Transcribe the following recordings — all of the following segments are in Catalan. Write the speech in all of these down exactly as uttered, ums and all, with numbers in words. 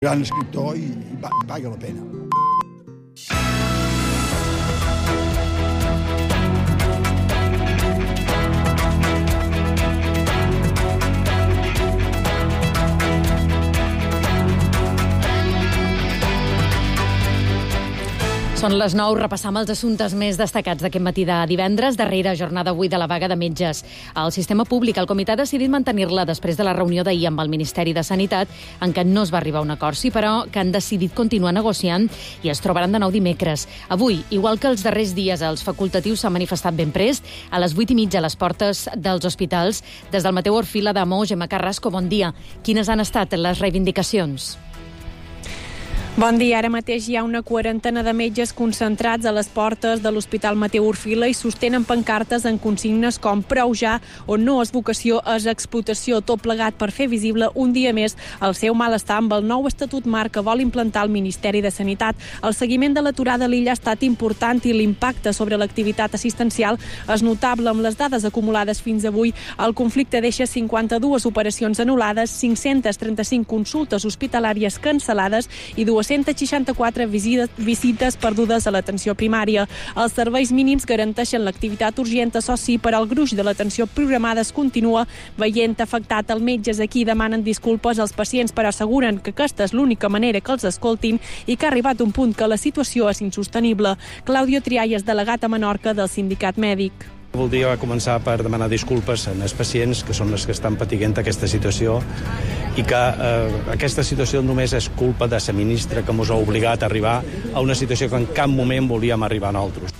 gran escriptor i, i paga la pena. Són les nou, repassam els assumptes més destacats d'aquest matí de divendres, darrera jornada avui de la vaga de metges. El sistema públic, el comitè ha decidit mantenir-la després de la reunió d'ahir amb el Ministeri de Sanitat, en què no es va arribar a un acord, sí, però que han decidit continuar negociant i es trobaran de nou dimecres. Avui, igual que els darrers dies, els facultatius s'han manifestat ben prest, a les vuit i mitja a les portes dels hospitals. Des del Mateu Orfila de Mou, Gemma Carrasco, bon dia. Quines han estat les reivindicacions? Bon dia. Ara mateix hi ha una quarantena de metges concentrats a les portes de l'Hospital Mateu Orfila i sostenen pancartes en consignes com prou ja o no és vocació, és explotació, tot plegat per fer visible un dia més el seu malestar amb el nou estatut marc que vol implantar el Ministeri de Sanitat. El seguiment de l'aturada a l'illa ha estat important i l'impacte sobre l'activitat assistencial és notable. Amb les dades acumulades fins avui, el conflicte deixa cinquanta-dues operacions anul·lades, cinc-centes trenta-cinc consultes hospitalàries cancel·lades i dues-centes seixanta-quatre visites perdudes a l'atenció primària. Els serveis mínims garanteixen l'activitat urgent, això sí, per al gruix de l'atenció programada es continua veient afectat. Els metges aquí demanen disculpes als pacients, però asseguren que aquesta és l'única manera que els escoltin i que ha arribat un punt que la situació és insostenible. Claudio Trialles, delegat a Menorca del sindicat mèdic. Voldria començar per demanar disculpes als pacients, que són els que estan patint aquesta situació, i que eh, aquesta situació només és culpa de la ministra que ens ha obligat a arribar a una situació que en cap moment volíem arribar nosaltres.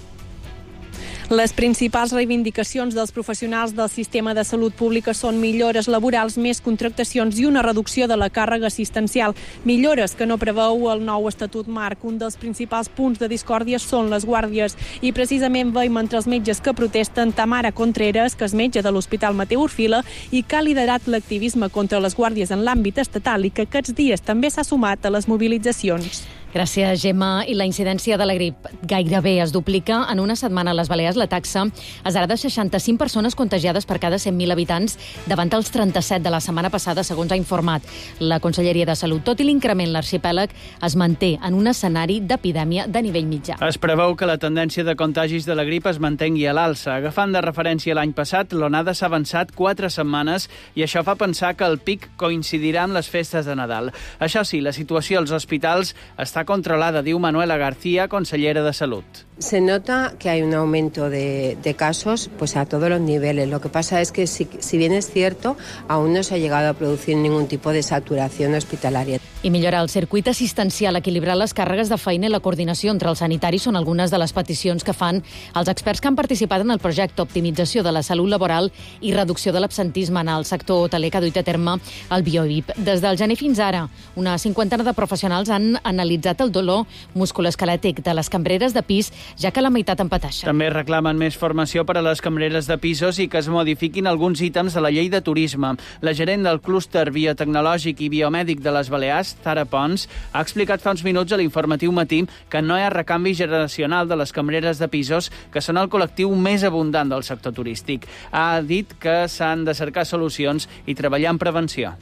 Les principals reivindicacions dels professionals del sistema de salut pública són millores laborals, més contractacions i una reducció de la càrrega assistencial. Millores que no preveu el nou estatut marc. Un dels principals punts de discòrdia són les guàrdies. I precisament veiem entre els metges que protesten Tamara Contreras, que és metge de l'Hospital Mateu Orfila i que ha liderat l'activisme contra les guàrdies en l'àmbit estatal i que aquests dies també s'ha sumat a les mobilitzacions. Gràcies, Gemma. I la incidència de la grip gairebé es duplica. En una setmana a les Balears la taxa és ara de seixanta-cinc persones contagiades per cada cent mil habitants davant els trenta-set de la setmana passada, segons ha informat la Conselleria de Salut. Tot i l'increment, l'arxipèlag es manté en un escenari d'epidèmia de nivell mitjà. Es preveu que la tendència de contagis de la grip es mantengui a l'alça. Agafant de referència l'any passat, l'onada s'ha avançat quatre setmanes i això fa pensar que el pic coincidirà amb les festes de Nadal. Això sí, la situació als hospitals està controlada, diu Manuela García, consellera de Salud. Se nota que hay un aumento de, de casos pues a todos los niveles. Lo que pasa es que si, si bien es cierto, aún no se ha llegado a producir ningún tipo de saturación hospitalaria. I millorar el circuit assistencial, equilibrar les càrregues de feina i la coordinació entre els sanitaris són algunes de les peticions que fan els experts que han participat en el projecte Optimització de la Salut Laboral i Reducció de l'Absentisme en el sector hoteler que ha duit a terme el BioVip. Des del gener fins ara, una cinquantena de professionals han analitzat el dolor musculoesquelètic de les cambreres de pis, ja que la meitat en pateixen. També reclamen més formació per a les cambreres de pisos i que es modifiquin alguns ítems de la llei de turisme. La gerent del clúster biotecnològic i biomèdic de les Balears, Tara Pons, ha explicat fa uns minuts a l'informatiu Matí que no hi ha recanvi generacional de les cambreres de pisos, que són el col·lectiu més abundant del sector turístic. Ha dit que s'han de cercar solucions i treballar en prevenció.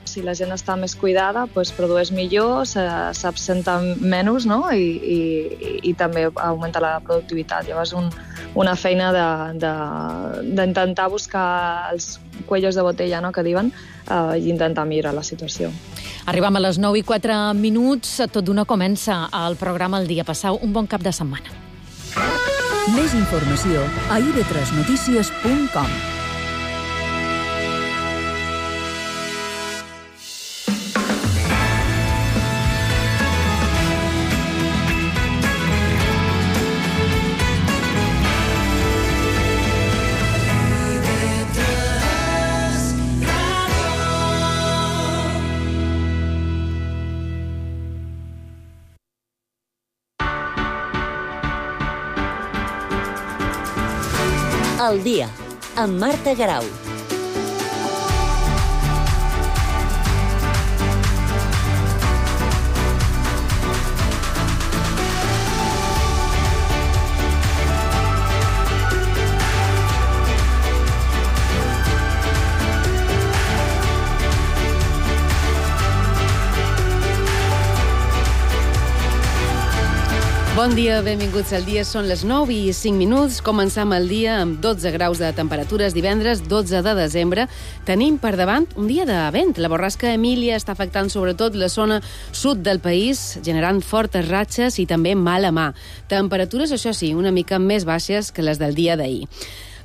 Si la gent està més cuidada, doncs produeix millor, s'absenta menys, no? I, i, i també augmenta la productivitat. Llavors, un, una feina d'intentar buscar els cuellos de botella, no?, que diuen, eh, i intentar millorar la situació. Arribem a les nou i quatre minuts. Tot d'una comença el programa El Dia. Passau un bon cap de setmana. Més informació a i ve tres notícies punt com. El dia, amb Marta Garau. Bon dia, benvinguts al dia. Són les nou i cinc minuts. Començam el dia amb dotze graus de temperatures. Divendres, dotze de desembre. Tenim per davant un dia de vent. La borrasca Emília està afectant sobretot la zona sud del país, generant fortes ratxes i també mala mà. Temperatures, això sí, una mica més baixes que les del dia d'ahir.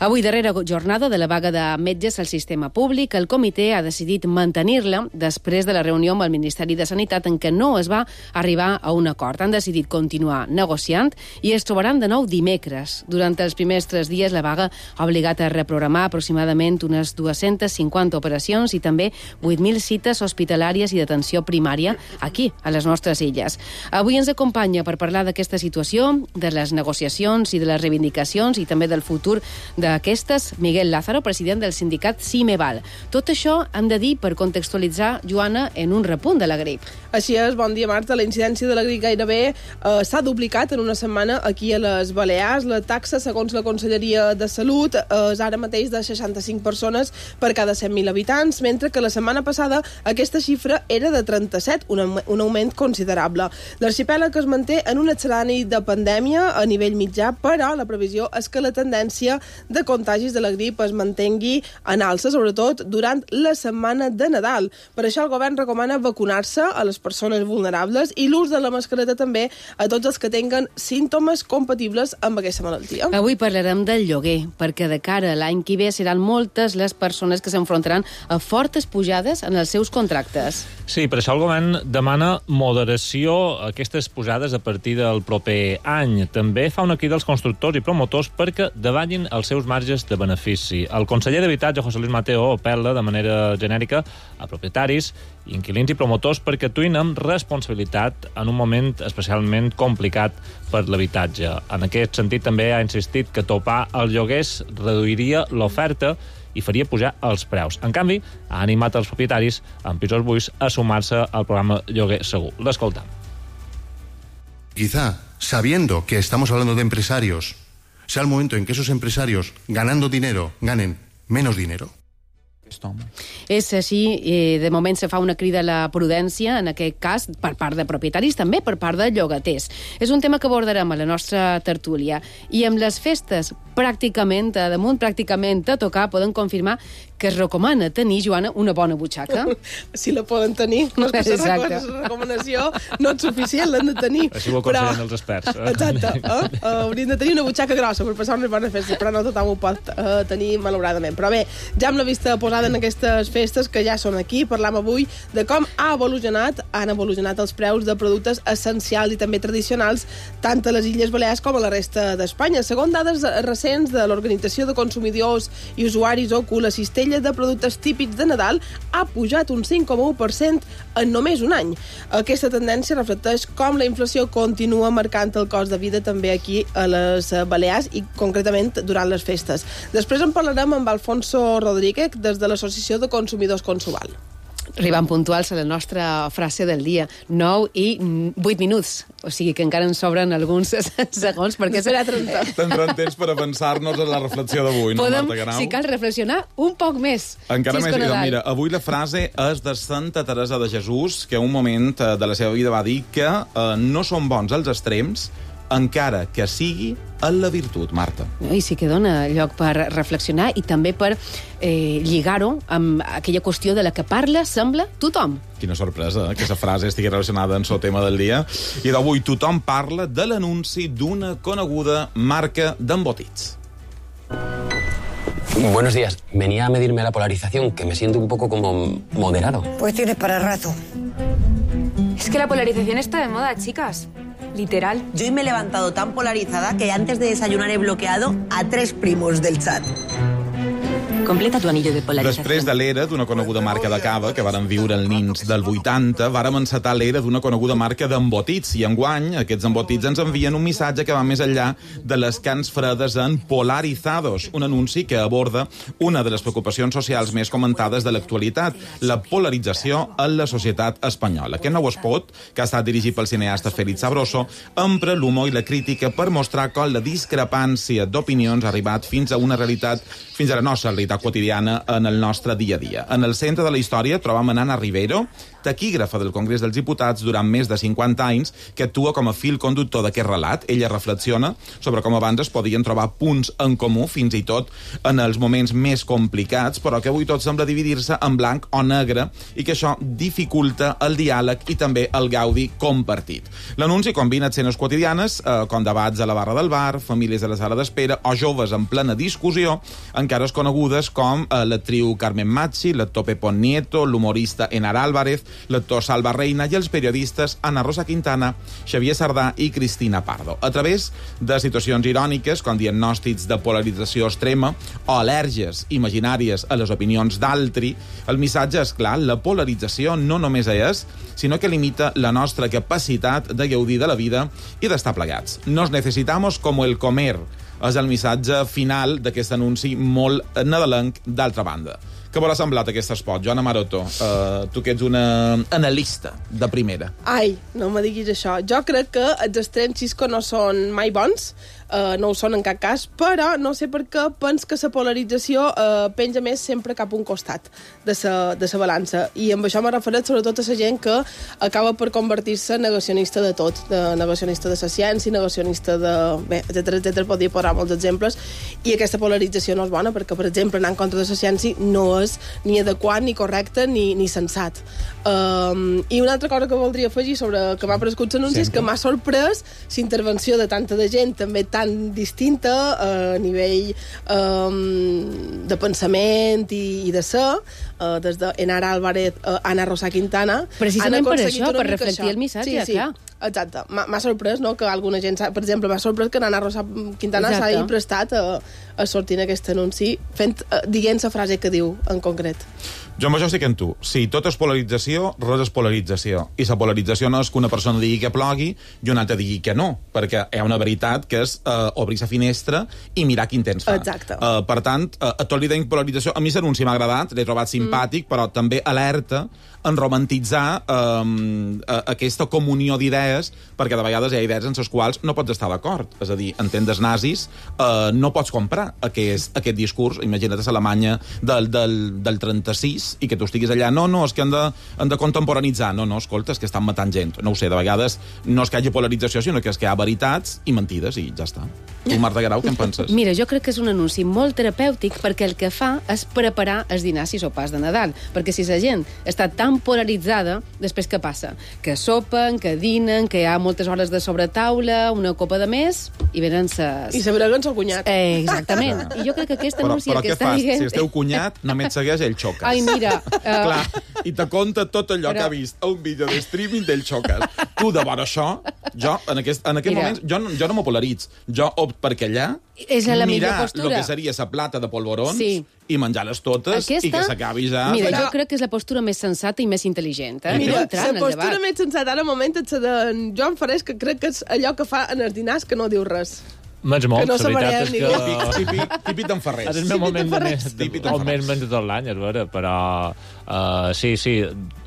Avui, darrera jornada de la vaga de metges al sistema públic, el comitè ha decidit mantenir-la després de la reunió amb el Ministeri de Sanitat en què no es va arribar a un acord. Han decidit continuar negociant i es trobaran de nou dimecres. Durant els primers tres dies, la vaga ha obligat a reprogramar aproximadament unes dues-centes cinquanta operacions i també vuit mil cites hospitalàries i d'atenció primària aquí, a les nostres illes. Avui ens acompanya per parlar d'aquesta situació, de les negociacions i de les reivindicacions i també del futur de Aquestes, Miguel Lázaro, president del sindicat CIMEVAL. Tot això hem de dir per contextualitzar, Joana, en un repunt de la grip. Així és, bon dia, Marta. La incidència de la grip gairebé eh, s'ha duplicat en una setmana aquí a les Balears. La taxa, segons la Conselleria de Salut, eh, és ara mateix de seixanta-cinc persones per cada cent mil habitants, mentre que la setmana passada aquesta xifra era de trenta-set, un, un augment considerable. L'arxipèlag es manté en un escenari de pandèmia a nivell mitjà, però la previsió és que la tendència de contagis de la grip es mantengui en alça, sobretot durant la setmana de Nadal. Per això el govern recomana vacunar-se a les persones vulnerables i l'ús de la mascareta també a tots els que tinguen símptomes compatibles amb aquesta malaltia. Avui parlarem del lloguer, perquè de cara a l'any que ve seran moltes les persones que s'enfrontaran a fortes pujades en els seus contractes. Sí, per això el govern demana moderació a aquestes pujades a partir del proper any. També fa una crida als constructors i promotors perquè davallin els seus marges de benefici. El conseller d'Habitatge, José Luis Mateo, apel·la de manera genèrica a propietaris, inquilins i promotors perquè actuïn amb responsabilitat en un moment especialment complicat per l'habitatge. En aquest sentit, també ha insistit que topar els lloguers reduiria l'oferta i faria pujar els preus. En canvi, ha animat els propietaris amb pisos buits a sumar-se al programa Lloguer Segur. L'escoltam. Quizá, sabiendo que estamos hablando de empresarios, sea el momento en que esos empresarios, ganando dinero, ganen menos dinero. És així, eh, de moment se fa una crida a la prudència, en aquest cas, per part de propietaris, també per part de llogaters. És un tema que abordarem a la nostra tertúlia. I amb les festes pràcticament, a damunt, pràcticament a tocar, poden confirmar que es recomana tenir, Joana, una bona butxaca. Si la poden tenir, no és que la recomanació no és suficient, l'han de tenir. Així ho aconsellen però... els experts. Eh? Exacte. Eh? Hauríem de tenir una butxaca grossa per passar una bona festa, però no tothom ho pot uh, tenir malauradament. Però bé, ja amb la vista posada en aquestes festes que ja són aquí, parlam avui de com ha evolucionat, han evolucionat els preus de productes essencials i també tradicionals tant a les Illes Balears com a la resta d'Espanya. Segons dades recents de l'Organització de Consumidors i Usuaris O C U, la cistella de productes típics de Nadal ha pujat un cinc coma u per cent en només un any. Aquesta tendència reflecteix com la inflació continua marcant el cost de vida també aquí a les Balears i concretament durant les festes. Després en parlarem amb Alfonso Rodríguez des de l'Associació de Consumidors Consuval. Arribant puntuals a la nostra frase del dia. nou i vuit minuts. O sigui que encara ens sobren alguns segons, perquè serà trenta. Tindrem temps per avançar-nos a la reflexió d'avui, no, Podem, Marta Guerau? si cal, reflexionar un poc més. Encara si més. Mira, avui la frase és de Santa Teresa de Jesús, que un moment de la seva vida va dir que eh, no són bons els extrems, encara que sigui en la virtut, Marta. I sí que dona lloc per reflexionar i també per eh, lligar-ho amb aquella qüestió de la que parla, sembla, tothom. Quina sorpresa, eh, que aquesta frase estigui relacionada amb el tema del dia. I d'avui tothom parla de l'anunci d'una coneguda marca d'embotits. Buenos días. Venía a medirme la polarización, que me siento un poco como moderado. Pues tienes para rato. Es que la polarización está de moda, chicas. Literal. Yo hoy me he levantado tan polarizada que antes de desayunar he bloqueado a tres primos del chat. Completa tu anillo de polarizació. Després de l'era d'una coneguda marca de cava que varen viure els nins del vuitanta, vàrem encetar l'era d'una coneguda marca d'embotits, i enguany aquests embotits ens envien un missatge que va més enllà de les cans fredes en Polarizados, un anunci que aborda una de les preocupacions socials més comentades de l'actualitat, la polarització en la societat espanyola. Aquest nou spot, que ha estat dirigit pel cineasta Félix Sabroso, empra l'humor i la crítica per mostrar com la discrepància d'opinions ha arribat fins a una realitat, fins a la nostra realitat quotidiana en el nostre dia a dia. En el centre de la història trobam a Nana Rivero, taquígrafa del Congrés dels Diputats durant més de cinquanta anys, que actua com a fil conductor d'aquest relat. Ella reflexiona sobre com abans es podien trobar punts en comú, fins i tot en els moments més complicats, però que avui tot sembla dividir-se en blanc o negre i que això dificulta el diàleg i també el gaudi compartit. L'anunci combina escenes quotidianes, eh, com debats a la barra del bar, famílies a la sala d'espera o joves en plena discussió, encara conegudes com eh, l'actriu Carmen Machi, l'actor Pepón Nieto, l'humorista Enar Álvarez, l'actor Salva Reina i els periodistes Ana Rosa Quintana, Xavier Sardà i Cristina Pardo. A través de situacions iròniques, com diagnòstics de polarització extrema o al·lèrgies imaginàries a les opinions d'altri, el missatge és clar: la polarització no només és, sinó que limita la nostra capacitat de gaudir de la vida i d'estar plegats. Nos necesitamos como el comer, és el missatge final d'aquest anunci molt nadalenc. D'altra banda, què vol ha semblat aquest espot? Joana Maroto, uh, tu que ets una analista de primera. Ai, no me diguis això. Jo crec que els extrems Xisco no són mai bons, uh, no ho són en cap cas, però no sé per què pens que la polarització uh, penja més sempre cap a un costat de la de sa balança. I amb això me refereix sobretot a la gent que acaba per convertir-se en negacionista de tot, de negacionista de la ciència, negacionista de... bé, etcètera, etcètera, podria posar molts exemples, i aquesta polarització no és bona, perquè, per exemple, anar en contra de la ciència no és ni adequat, ni correcte, ni, ni sensat. Um, I una altra cosa que voldria afegir sobre que m'ha prescut l'anunci és que m'ha sorprès l'intervenció de tanta de gent també tan distinta uh, a nivell um, de pensament i, i de ser, uh, des d'Enar Álvarez, uh, Ana Rosa Quintana. Precisament per això, per reflectir el missatge, sí, sí. clar. Exacte. M'ha sorprès, no?, que alguna gent... Per exemple, m'ha sorprès que Ana Rosa Quintana s'hagi prestat a, a sortir en aquest anunci fent, dient la frase que diu en concret. Jo amb això estic en tu. Si tot és polarització, res és polarització. I la polarització no és que una persona digui que plogui i una altra digui que no, perquè hi ha una veritat que és uh, obrir la finestra i mirar quin temps fa. Exacte. Uh, per tant, uh, a tot li deim polarització. A mi l'anunci m'ha agradat, l'he trobat simpàtic, mm. però també alerta en romantitzar um, aquesta comunió d'idees, perquè de vegades hi ha idees en les quals no pots estar d'acord. És a dir, en tendes nazis, uh, no pots comprar aquest, aquest discurs. Imagina't a l'Alemanya del, del, del trenta-sis i que tu estiguis allà, no, no, és que han de, han de contemporanitzar. No, no, escolta, és que estan matant gent. No ho sé, de vegades no és que hi hagi polarització, sinó que és que hi ha veritats i mentides i ja està. Tu, Marta Guerau, què en penses? Mira, jo crec que és un anunci molt terapèutic perquè el que fa és preparar els dinars i sopars de Nadal. Perquè si la gent està tan polaritzada, després què passa? Que sopen, que dinen, que hi ha moltes hores de sobretaula, una copa de més, i venen ses... I se breguen el cunyat. Eh, exactament. I jo crec que aquest anunci... Però, però què què fas? dient... Si el teu cunyat només segueix el Xocas. Ai, mira... Uh... Clar, i te conta tot allò però... que ha vist a un vídeo de streaming del Xocas. Tu, de vora això, jo, en aquest, en aquest moment, jo, jo no m'ho polaritz. Jo opt perquè allà és la mirar postura. el que seria la plata de polvorons sí. i menjar-les totes aquesta, i que s'acabi ja... Mira, però... jo crec que és la postura més sensata i més intel·ligent. Eh? Mira, no la postura més sensata ara moment és la de Joan Farés, que crec que és allò que fa en els dinars que no diu res. Menys molt, no la veritat és que... Típic, típic, típic d'en Ferrés. És el meu moment de més, de, el més menys de tot l'any, és vera, però... Uh, sí, sí,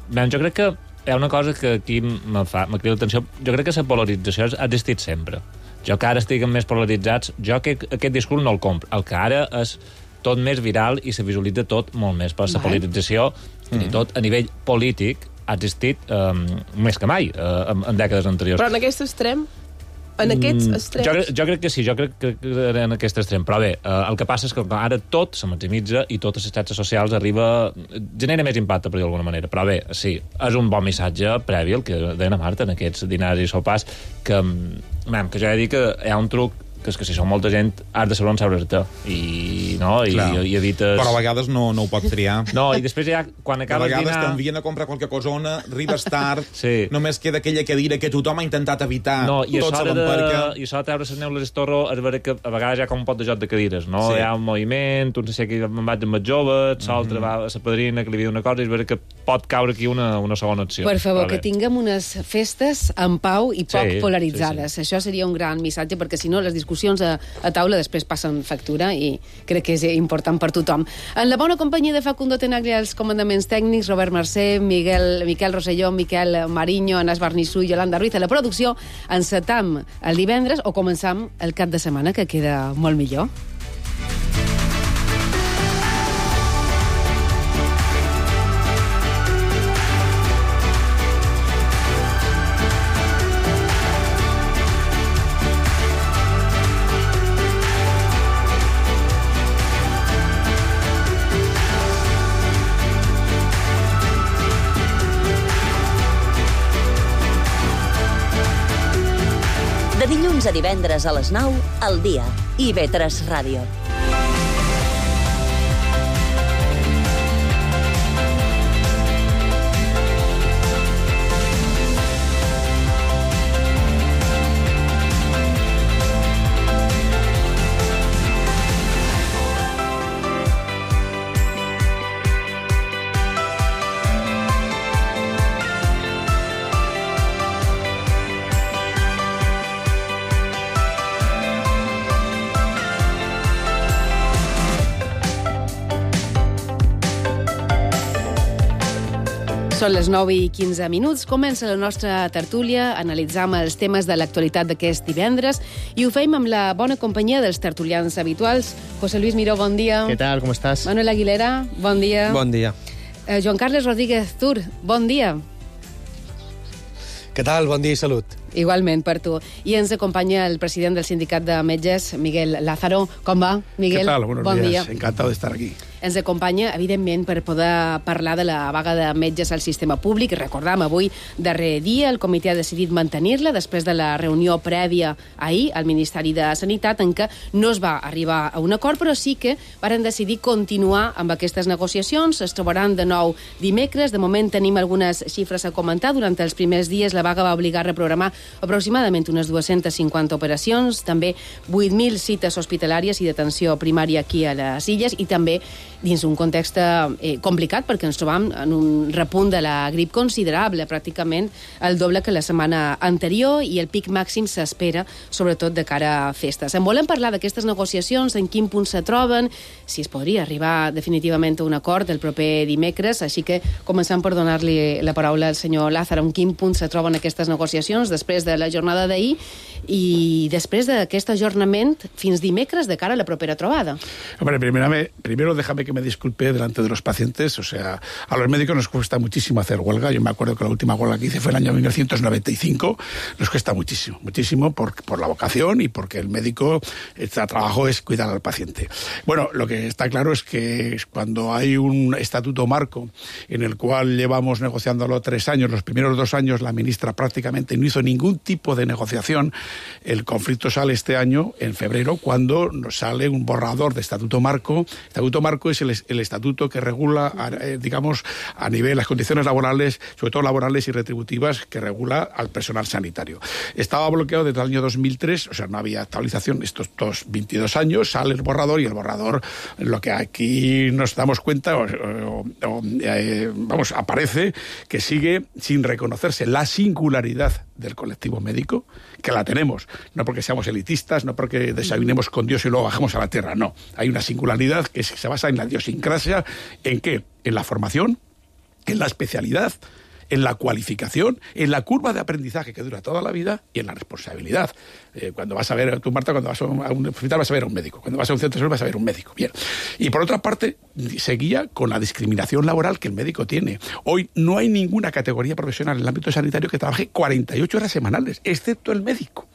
ben, jo crec que hi ha una cosa que aquí me fa, me crida l'atenció. Jo crec que la polarització ha existit sempre. Jo que ara estiguen més polaritzats, jo que aquest discurs no el compro. El que ara és tot més viral i se visualitza tot molt més. Per la polarització, mm. i tot a nivell polític, ha existit um, més que mai, uh, en, en dècades anteriors. Però en aquest extrem... En aquests extrems... Jo, jo crec que sí, jo crec que, que en aquest extrem. Però bé, eh, el que passa és que ara tot se maximitza i totes les xarxes socials arriba... genera més impacte, per dir d'alguna manera. Però bé, sí, és un bon missatge previ, el que deia la Marta, en aquests dinars i sopars, que, man, que jo he de dir que hi ha un truc que és que si som molta gent has de saber on sabres-te i, no? I, i, i evites... Però a vegades no, no ho pots triar. No, i després ja, quan acabes dinar... A vegades dinar... t'envien a comprar qualque cosona, arribes tard, sí. només queda aquella cadira que tothom ha intentat evitar, no, i tot se l'emperca. I això de treure les neules d'estorro és vera que a vegades hi ha com un pot de joc de cadires, no? Sí. Hi ha un moviment, un no sé si me'n vaig amb els joves, l'altre mm -hmm. va a la padrina que li diu una cosa, i és vera que pot caure aquí una, una segona acció. Per favor, que tinguem unes festes en pau i poc sí, polaritzades. Sí, sí. Això seria un gran missatge, perquè si no les discussions a, a taula després passen factura i crec que és important per tothom. En la bona companyia de Facundo Tenaglia als comandaments tècnics, Robert Mercè, Miguel, Miquel Rosselló, Miquel Mariño, Anas Barnissú i Yolanda Ruiz a la producció. Encetam el divendres o començam el cap de setmana, que queda molt millor. De dilluns a divendres a les nou, al dia. I ve tres Ràdio. Són les nou i quinze minuts. Comença la nostra tertúlia. Analitzam els temes de l'actualitat d'aquest divendres i ho fem amb la bona companyia dels tertulians habituals. José Luis Miró, bon dia. ¿Qué tal? ¿Cómo estás? Manuel Aguilera, bon dia. Bon dia. Eh, Joan Carles Rodríguez Zur, bon dia. Què tal? Bon dia i salut. Igualment, per tu. I ens acompanya el president del Sindicat de Metges, Miguel Lázaro. Com va, Miguel? ¿Qué tal? Buenos bon días. Dia. Encantado de estar aquí. Ens acompanya, evidentment, per poder parlar de la vaga de metges al sistema públic. Recordam, avui, darrer dia, el comitè ha decidit mantenir-la després de la reunió prèvia ahir al Ministeri de Sanitat, en què no es va arribar a un acord, però sí que varen decidir continuar amb aquestes negociacions. Es trobaran de nou dimecres. De moment tenim algunes xifres a comentar. Durant els primers dies, la vaga va obligar a reprogramar aproximadament unes dues-centes cinquanta operacions, també vuit mil cites hospitalàries i d'atenció primària aquí a les Illes, i també dins un context eh, complicat, perquè ens trobam en un repunt de la grip considerable, pràcticament el doble que la setmana anterior, i el pic màxim s'espera, sobretot de cara a festes. En volem parlar d'aquestes negociacions, en quin punt se troben, si es podria arribar definitivament a un acord el proper dimecres, així que començam per donar-li la paraula al senyor Lázaro. En quin punt se troben aquestes negociacions després de la jornada d'ahir i després d'aquest ajornament fins dimecres de cara a la propera trobada? Hombre, primero, primero déjame que me disculpe delante de los pacientes. O sea, a los médicos nos cuesta muchísimo hacer huelga. Yo me acuerdo que la última huelga que hice fue en el año mil novecientos noventa y cinco. Nos cuesta muchísimo, muchísimo por, por la vocación y porque el médico, el trabajo es cuidar al paciente. Bueno, lo que está claro es que cuando hay un estatuto marco en el cual llevamos negociándolo tres años, los primeros dos años la ministra prácticamente no hizo ningún tipo de negociación. El conflicto sale este año, en febrero, cuando nos sale un borrador de estatuto marco. Estatuto marco es el, el estatuto que regula, eh, digamos, a nivel las condiciones laborales, sobre todo laborales y retributivas, que regula al personal sanitario. Estaba bloqueado desde el año dos mil tres, o sea, no había actualización estos dos, veintidós años, sale el borrador y el borrador, lo que aquí nos damos cuenta, o, o, o, eh, vamos, aparece que sigue sin reconocerse la singularidad del colectivo médico, que la tenemos, no porque seamos elitistas, no porque desayunemos con Dios y luego bajemos a la tierra, no. Hay una singularidad que se basa en la idiosincrasia. ¿En qué? En la formación, en la especialidad, en la cualificación, en la curva de aprendizaje que dura toda la vida y en la responsabilidad. Eh, cuando vas a ver, tú Marta, cuando vas a un hospital vas a ver a un médico, cuando vas a un centro de salud vas a ver a un médico. Bien. Y por otra parte, seguía con la discriminación laboral que el médico tiene. Hoy no hay ninguna categoría profesional en el ámbito sanitario que trabaje cuarenta y ocho horas semanales, excepto el médico.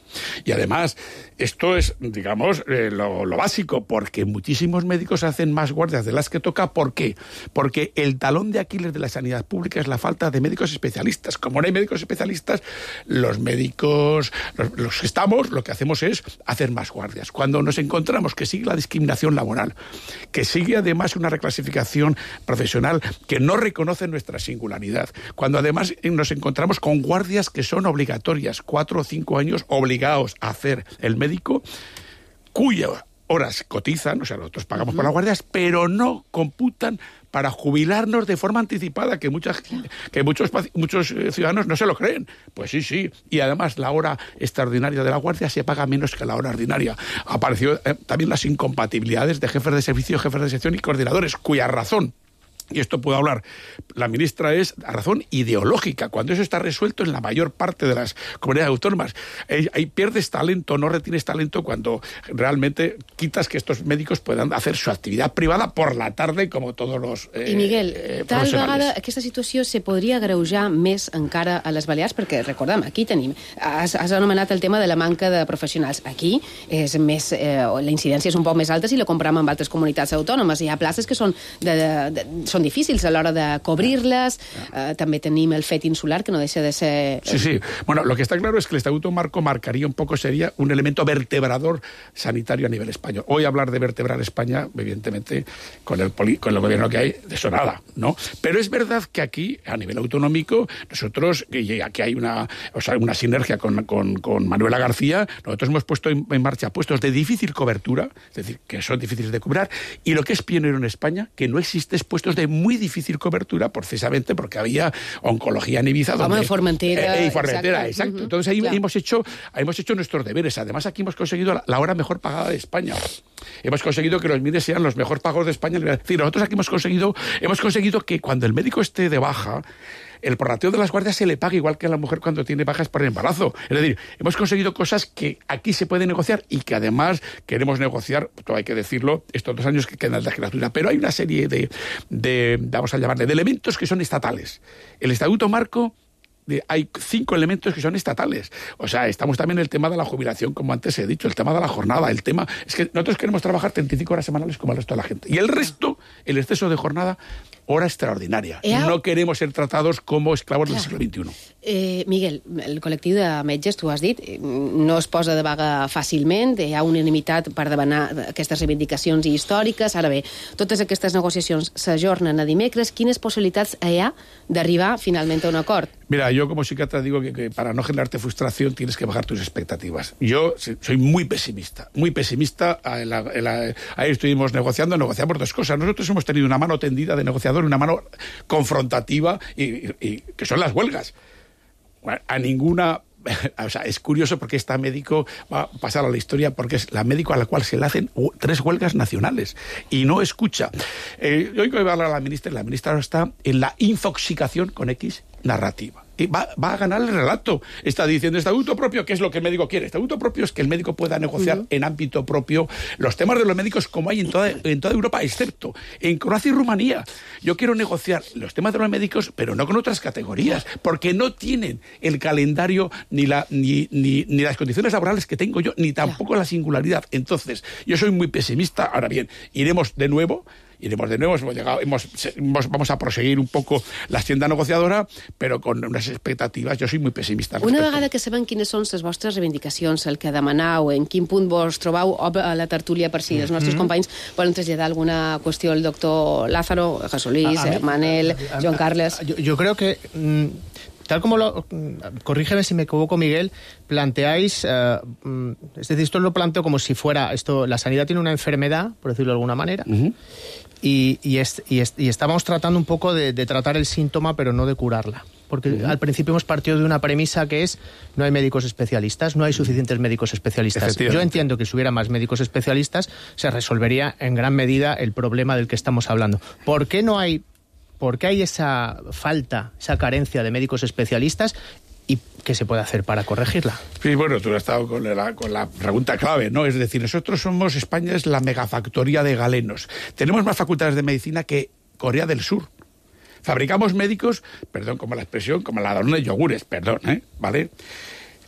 Y además, esto es, digamos, eh, lo, lo básico, porque muchísimos médicos hacen más guardias de las que toca. ¿Por qué? Porque el talón de Aquiles de la sanidad pública es la falta de médicos especialistas. Como no hay médicos especialistas, los médicos, los, los que estamos, lo que hacemos es hacer más guardias. Cuando nos encontramos que sigue la discriminación laboral, que sigue además una reclasificación profesional que no reconoce nuestra singularidad, cuando además nos encontramos con guardias que son obligatorias, cuatro o cinco años obligados a hacer el médico, cuyas horas cotizan, o sea, nosotros pagamos uh-huh. por las guardias, pero no computan para jubilarnos de forma anticipada, que muchas que muchos muchos ciudadanos no se lo creen. Pues sí, sí. Y además la hora extraordinaria de la guardia se paga menos que la hora ordinaria. Apareció eh, también las incompatibilidades de jefes de servicio, jefes de sección y coordinadores, cuya razón, y esto puedo hablar, la ministra, es a razón ideológica, cuando eso está resuelto en la mayor parte de las comunidades autónomas. Ahí, ahí pierdes talento, no retienes talento cuando realmente quitas que estos médicos puedan hacer su actividad privada por la tarde, como todos los eh, I Miguel, eh, tal vegada aquesta situació se podria agreujar més encara a les Balears, perquè recordem, aquí tenim, has, has anomenat el tema de la manca de professionals. Aquí és més, eh, la incidència és un poc més alta si la comparem amb altres comunitats autònomes. Hi ha places que són de, de, són són difícils a l'hora de cobrir-les. Eh, també tenim el fet insular, que no deixa de ser... Sí, sí. Bueno, lo que está claro es que el Estatuto Marco marcaría un poco, sería un elemento vertebrador sanitario a nivel español. Hoy hablar de vertebrar España, evidentemente, con el, poli, con el gobierno que hay, de eso nada, ¿no? Pero es verdad que aquí, a nivel autonómico, nosotros, y aquí hay una, o sea, una sinergia con, con, con Manuela García, nosotros hemos puesto en, en marcha puestos de difícil cobertura, es decir, que son difíciles de cubrir, y lo que es pionero en España, que no existe puestos de muy difícil cobertura, precisamente porque había oncología en Ibiza. Como en Formentera. Eh, eh, Formentera, exacto. exacto. Uh-huh. Entonces ahí claro. hemos, hecho, hemos hecho nuestros deberes. Además, aquí hemos conseguido la, la hora mejor pagada de España. Hemos conseguido que los M I R E sean los mejor pagos de España. Es decir, nosotros aquí hemos conseguido, hemos conseguido que cuando el médico esté de baja, el prorrateo de las guardias se le paga igual que a la mujer cuando tiene bajas por embarazo. Es decir, hemos conseguido cosas que aquí se pueden negociar y que además queremos negociar, todo hay que decirlo, estos dos años que quedan de legislatura. Pero hay una serie de, de, vamos a llamarle, de elementos que son estatales. El Estatuto Marco, de, hay cinco elementos que son estatales. O sea, estamos también en el tema de la jubilación, como antes he dicho, el tema de la jornada, el tema... Es que nosotros queremos trabajar treinta y cinco horas semanales como el resto de la gente. Y el resto, el exceso de jornada, hora extraordinària. Ha... No queremos ser tratados como esclavos Clar. del siglo veintiuno. Eh, Miguel, el col·lectiu de metges, tu has dit, no es posa de vaga fàcilment, hi ha unanimitat per demanar aquestes reivindicacions històriques. Ara bé, totes aquestes negociacions s'ajornen a dimecres. Quines possibilitats hi ha d'arribar finalment a un acord? Mira, yo como psiquiatra digo que, que para no generarte frustración tienes que bajar tus expectativas. Yo soy muy pesimista, muy pesimista. En la, en la, ahí estuvimos negociando, negociamos dos cosas. Nosotros hemos tenido una mano tendida de negociador, una mano confrontativa, y, y, y que son las huelgas. A ninguna... O sea, es curioso porque esta médico va a pasar a la historia porque es la médico a la cual se le hacen tres huelgas nacionales y no escucha. Eh, yo voy a hablar a la ministra y la ministra está en la infoxicación con X narrativa. Y va, va a ganar el relato. Está diciendo estatuto propio, ¿qué es lo que el médico quiere? Estatuto propio es que el médico pueda negociar uh-huh. en ámbito propio los temas de los médicos como hay en toda, en toda Europa, excepto en Croacia y Rumanía. Yo quiero negociar los temas de los médicos, pero no con otras categorías, porque no tienen el calendario ni, la, ni, ni, ni las condiciones laborales que tengo yo, ni tampoco la singularidad. Entonces, yo soy muy pesimista. Ahora bien, iremos de nuevo... Iremos de nuevo, hemos llegado, hemos, hemos, vamos a proseguir un poco la hacienda negociadora, però con unes expectatives. Jo soy muy pesimista. Una vegada que sabem quines són les vostres reivindicacions, el que demanau, en quin punt vos trobau a la tertúlia per si els nostres mm-hmm. companys volen traslladar alguna qüestió al doctor Lázaro, Jesolís, a, a Manel, a, a, Joan Carles... Yo, yo creo que... Mmm... Tal como lo... Corrígeme si me equivoco, Miguel, planteáis... Eh, es decir, esto lo planteo como si fuera... esto la sanidad tiene una enfermedad, por decirlo de alguna manera, uh-huh. y, y, es, y, es, y estábamos tratando un poco de, de tratar el síntoma, pero no de curarla. Porque uh-huh. al principio hemos partido de una premisa que es no hay médicos especialistas, no hay suficientes médicos especialistas. Yo entiendo que si hubiera más médicos especialistas se resolvería en gran medida el problema del que estamos hablando. ¿Por qué no hay... ¿Por qué hay esa falta, esa carencia de médicos especialistas y qué se puede hacer para corregirla? Sí, bueno, tú has estado con la, con la pregunta clave, ¿no? Es decir, nosotros somos, España es la megafactoría de galenos. Tenemos más facultades de medicina que Corea del Sur. Fabricamos médicos, perdón, como la expresión, como la Danone de yogures, perdón, ¿eh? ¿Vale?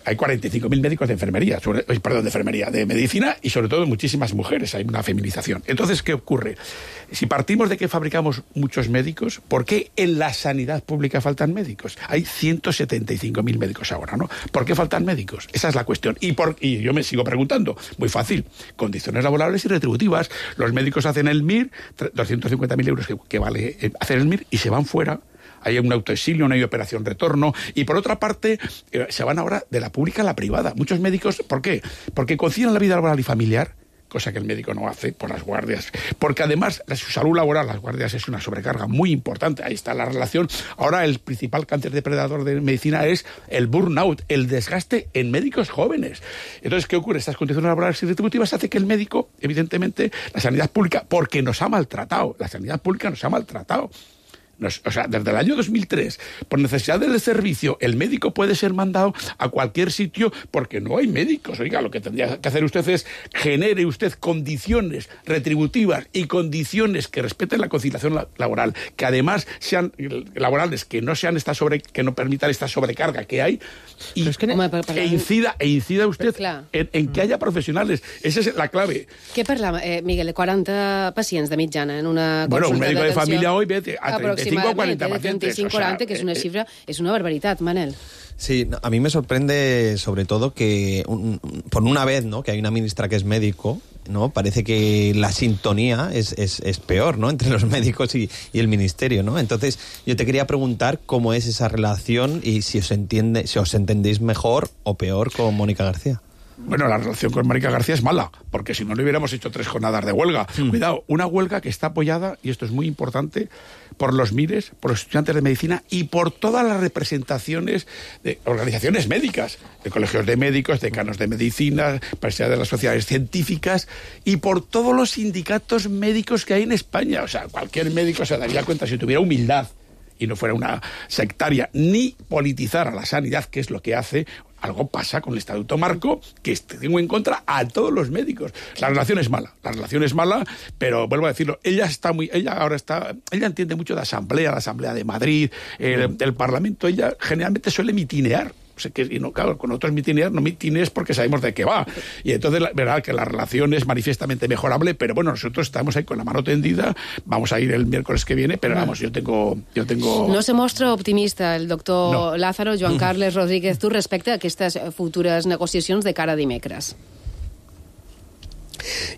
Hay cuarenta y cinco mil médicos de enfermería, sobre, perdón, de enfermería, de medicina y sobre todo muchísimas mujeres, hay una feminización. Entonces, ¿qué ocurre? Si partimos de que fabricamos muchos médicos, ¿por qué en la sanidad pública faltan médicos? Hay ciento setenta y cinco mil médicos ahora, ¿no? ¿Por qué faltan médicos? Esa es la cuestión. Y, por, y yo me sigo preguntando, muy fácil, condiciones laborables y retributivas. Los médicos hacen el M I R, doscientos cincuenta mil euros que, que vale hacer el M I R y se van fuera. Hay un autoexilio, no hay operación retorno. Y por otra parte, eh, se van ahora de la pública a la privada. Muchos médicos, ¿por qué? Porque concilian la vida laboral y familiar, cosa que el médico no hace por las guardias. Porque además, su salud laboral, las guardias, es una sobrecarga muy importante. Ahí está la relación. Ahora, el principal cáncer depredador de medicina es el burnout, el desgaste en médicos jóvenes. Entonces, ¿qué ocurre? Estas condiciones laborales y retributivas hace que el médico, evidentemente, la sanidad pública, porque nos ha maltratado, la sanidad pública nos ha maltratado. o sea, desde el año dos mil tres, por necesidad del servicio, el médico puede ser mandado a cualquier sitio porque no hay médicos. Oiga, lo que tendría que hacer usted es genere usted condiciones retributivas y condiciones que respeten la conciliación laboral, que además sean laborales, que no sean esta sobre, que no permitan esta sobrecarga que hay, y es que Home, per, per, e incida e incida usted en, en que haya profesionales. Esa es la clave. Què parlava, eh, Miguel, de quaranta pacients de mitjana en una bueno, consulta un médico de familia hoy ve a treinta y cinco a cuarenta pacientes. treinta y cinco a cuarenta, o sea, que es una cifra, es una barbaridad, Manel. Sí, a mí me sorprende sobre todo que un, por una vez, ¿no?, que hay una ministra que es médico, ¿no? Parece que la sintonía es, es, es peor, ¿no?, entre los médicos y, y el ministerio, ¿no? Entonces, yo te quería preguntar cómo es esa relación y si os entiende, si os entendéis mejor o peor con Mónica García. Bueno, la relación con Mónica García es mala, porque si no, le hubiéramos hecho tres jornadas de huelga. Mm. Cuidado, una huelga que está apoyada, y esto es muy importante, por los MIRES, por los estudiantes de medicina y por todas las representaciones de organizaciones médicas, de colegios de médicos, decanos de medicina, presidentes de las sociedades científicas y por todos los sindicatos médicos que hay en España. O sea, cualquier médico se daría cuenta, si tuviera humildad y no fuera una sectaria, ni politizar a la sanidad, que es lo que hace. Algo pasa con el Estatuto Marco, que tengo en contra a todos los médicos. La relación es mala, la relación es mala, pero vuelvo a decirlo, ella está muy, ella ahora está, ella entiende mucho de asamblea, la Asamblea de Madrid, el, el Parlamento, ella generalmente suele mitinear. O sea, que, y no, claro, con otros mitinear no mitines porque sabemos de qué va. Y entonces, la verdad que la relación es manifiestamente mejorable, pero bueno, nosotros estamos ahí con la mano tendida, vamos a ir el miércoles que viene, pero vamos, yo tengo... Yo tengo... No se mostra optimista el doctor no. Lázaro, Joan Carles Rodríguez, tu respecte a aquestes futures negociacions de cara a dimecres.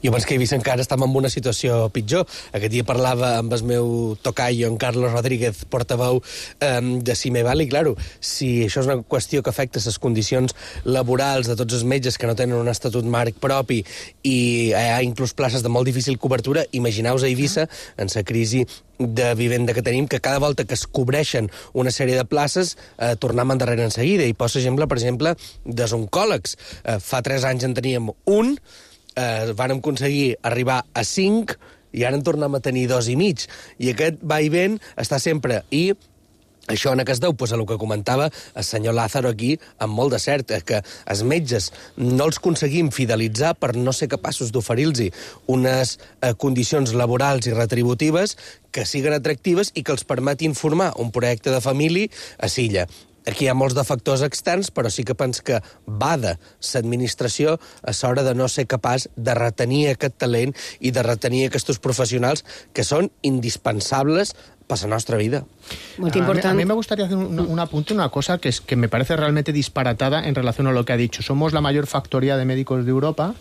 Jo penso que Eivissa encara estem en una situació pitjor. Aquest dia parlava amb el meu tocayo, en Carlos Rodríguez, portaveu eh, de Cimeval, i, claro, si això és una qüestió que afecta les condicions laborals de tots els metges que no tenen un estatut marc propi i hi ha inclús places de molt difícil cobertura, imagineu-vos a Eivissa, en la crisi de vivenda que tenim, que cada volta que es cobreixen una sèrie de places eh, tornem endarrere en seguida. I poso exemple, per exemple, dels oncòlegs. Eh, fa tres anys en teníem un, Eh, vàrem aconseguir arribar a cinc i ara en tornem a tenir dos i mig. I aquest va i ven està sempre. I això en què es deu? Pues a el que comentava el senyor Lázaro aquí, amb molt de cert, que els metges no els aconseguim fidelitzar per no ser capaços d'oferir-los unes eh, condicions laborals i retributives que siguen atractives i que els permetin formar un projecte de família a Silla. Aquí hi ha molts de factors externs, però sí que penso que bada l'administració a l'hora de no ser capaç de retenir aquest talent i de retenir aquests professionals que són indispensables para la nuestra vida. Muy importante. A mí, a mí me gustaría hacer un, un apunte, una cosa que, es, que me parece realmente disparatada en relación a lo que ha dicho. Somos la mayor factoría de médicos de Europa.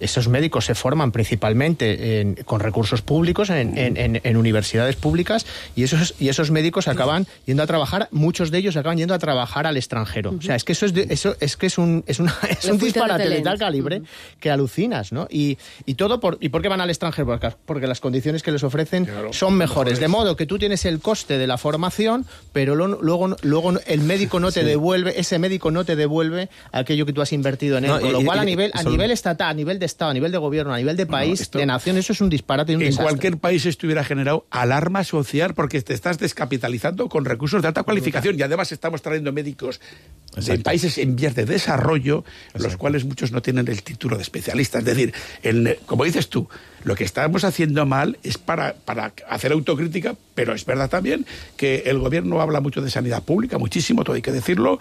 Esos médicos se forman principalmente en, con recursos públicos en, en, en, en universidades públicas y esos, y esos médicos acaban yendo a trabajar, muchos de ellos acaban yendo a trabajar al extranjero. Uh-huh. O sea, es que eso es, de, eso, es, que es un, es una, es un disparate de tal calibre uh-huh. que alucinas, ¿no? Y, y todo por, ¿y por qué van al extranjero? Porque, porque las condiciones que les ofrecen claro, son mejores. mejores. De modo que tú tienes el coste de la formación, pero lo, luego, luego el médico no te sí. devuelve, ese médico no te devuelve aquello que tú has invertido en él. No, con y, lo cual, y, a nivel, a nivel estatal, a nivel de Estado, a nivel de gobierno, a nivel de país, no, esto, de nación, eso es un disparate y un en desastre. En cualquier país esto hubiera generado alarma social porque te estás descapitalizando con recursos de alta cualificación y además estamos trayendo médicos Exacto. de países en vías de desarrollo, Exacto. los cuales muchos no tienen el título de especialista. Es decir, el, como dices tú, lo que estamos haciendo mal es para, para hacer autocrítica, pero es verdad también que el gobierno habla mucho de sanidad pública, muchísimo, todo hay que decirlo,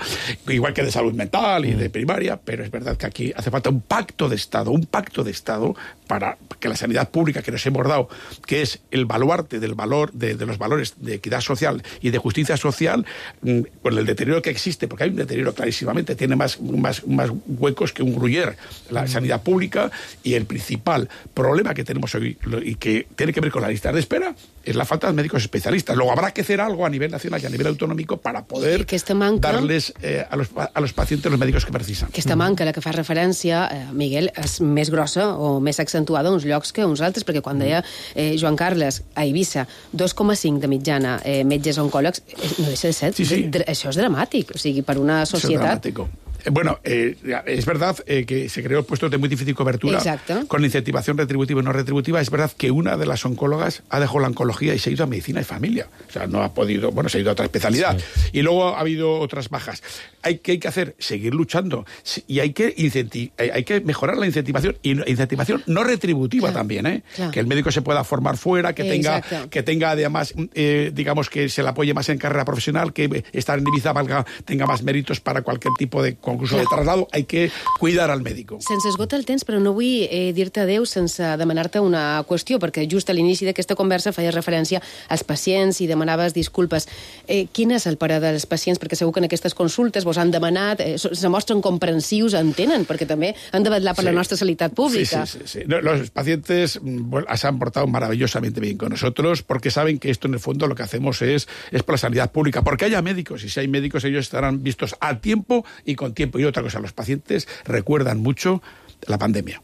igual que de salud mental y mm. de primaria, pero es verdad que aquí hace falta un pacto de Estado, un pacto de Estado para que la sanidad pública que nos hemos dado, que es el baluarte del valor, de, de los valores de equidad social y de justicia social, mmm, con el deterioro que existe, porque hay un deterioro clarísimamente, tiene más, más, más huecos que un gruyere, la mm. sanidad pública, y el principal problema que tenemos hoy y que tiene que ver con la lista de espera es la falta de médicos especialistas. Luego habrá que hacer algo a nivel nacional y a nivel autonómico para poder manca, darles eh, a, los, a los pacientes los médicos que precisan. Aquesta manca, la que fa referència, eh, Miguel, és més grossa o més accentuada uns llocs que uns altres, perquè quan deia eh, Joan Carles, a Eivissa, dos coma cinc de mitjana eh, metges oncòlegs, no deixa de ser, sí, sí. Dr- això és dramàtic, o sigui, per una societat... Bueno, eh, es verdad eh, que se creó puestos de muy difícil cobertura. Exacto. Con incentivación retributiva y no retributiva. Es verdad que una de las oncólogas ha dejado la oncología y se ha ido a medicina y familia. O sea, no ha podido, bueno, se ha ido a otra especialidad. Sí. Y luego ha habido otras bajas. Hay, ¿Qué hay que hacer? Seguir luchando. Y hay que, incenti- hay que mejorar la incentivación. Y incentivación no retributiva claro. también, ¿eh? Claro. Que el médico se pueda formar fuera, que tenga, que tenga además, eh, digamos, que se le apoye más en carrera profesional, que estar en Ibiza valga, tenga más méritos para cualquier tipo de concurso de traslado. Hay que cuidar al médico. Se'ns esgota el temps, però no vull eh, dir-te adéu sense demanar-te una qüestió, perquè just a l'inici d'aquesta conversa feies referència als pacients i demanaves disculpes. Eh, quin és el parer dels pacients? Perquè segur que en aquestes consultes vos han demanat, eh, se mostren comprensius, entenen, perquè també han de vetllar per sí. la nostra sanitat pública. Sí, sí, sí. sí. No, los pacientes bueno, se han portado maravillosamente bien con nosotros porque saben que esto en el fondo lo que hacemos es, es por la sanidad pública, porque haya médicos, y si hay médicos ellos estarán vistos a tiempo y con tiempo. Y otra cosa, los pacientes recuerdan mucho la pandemia.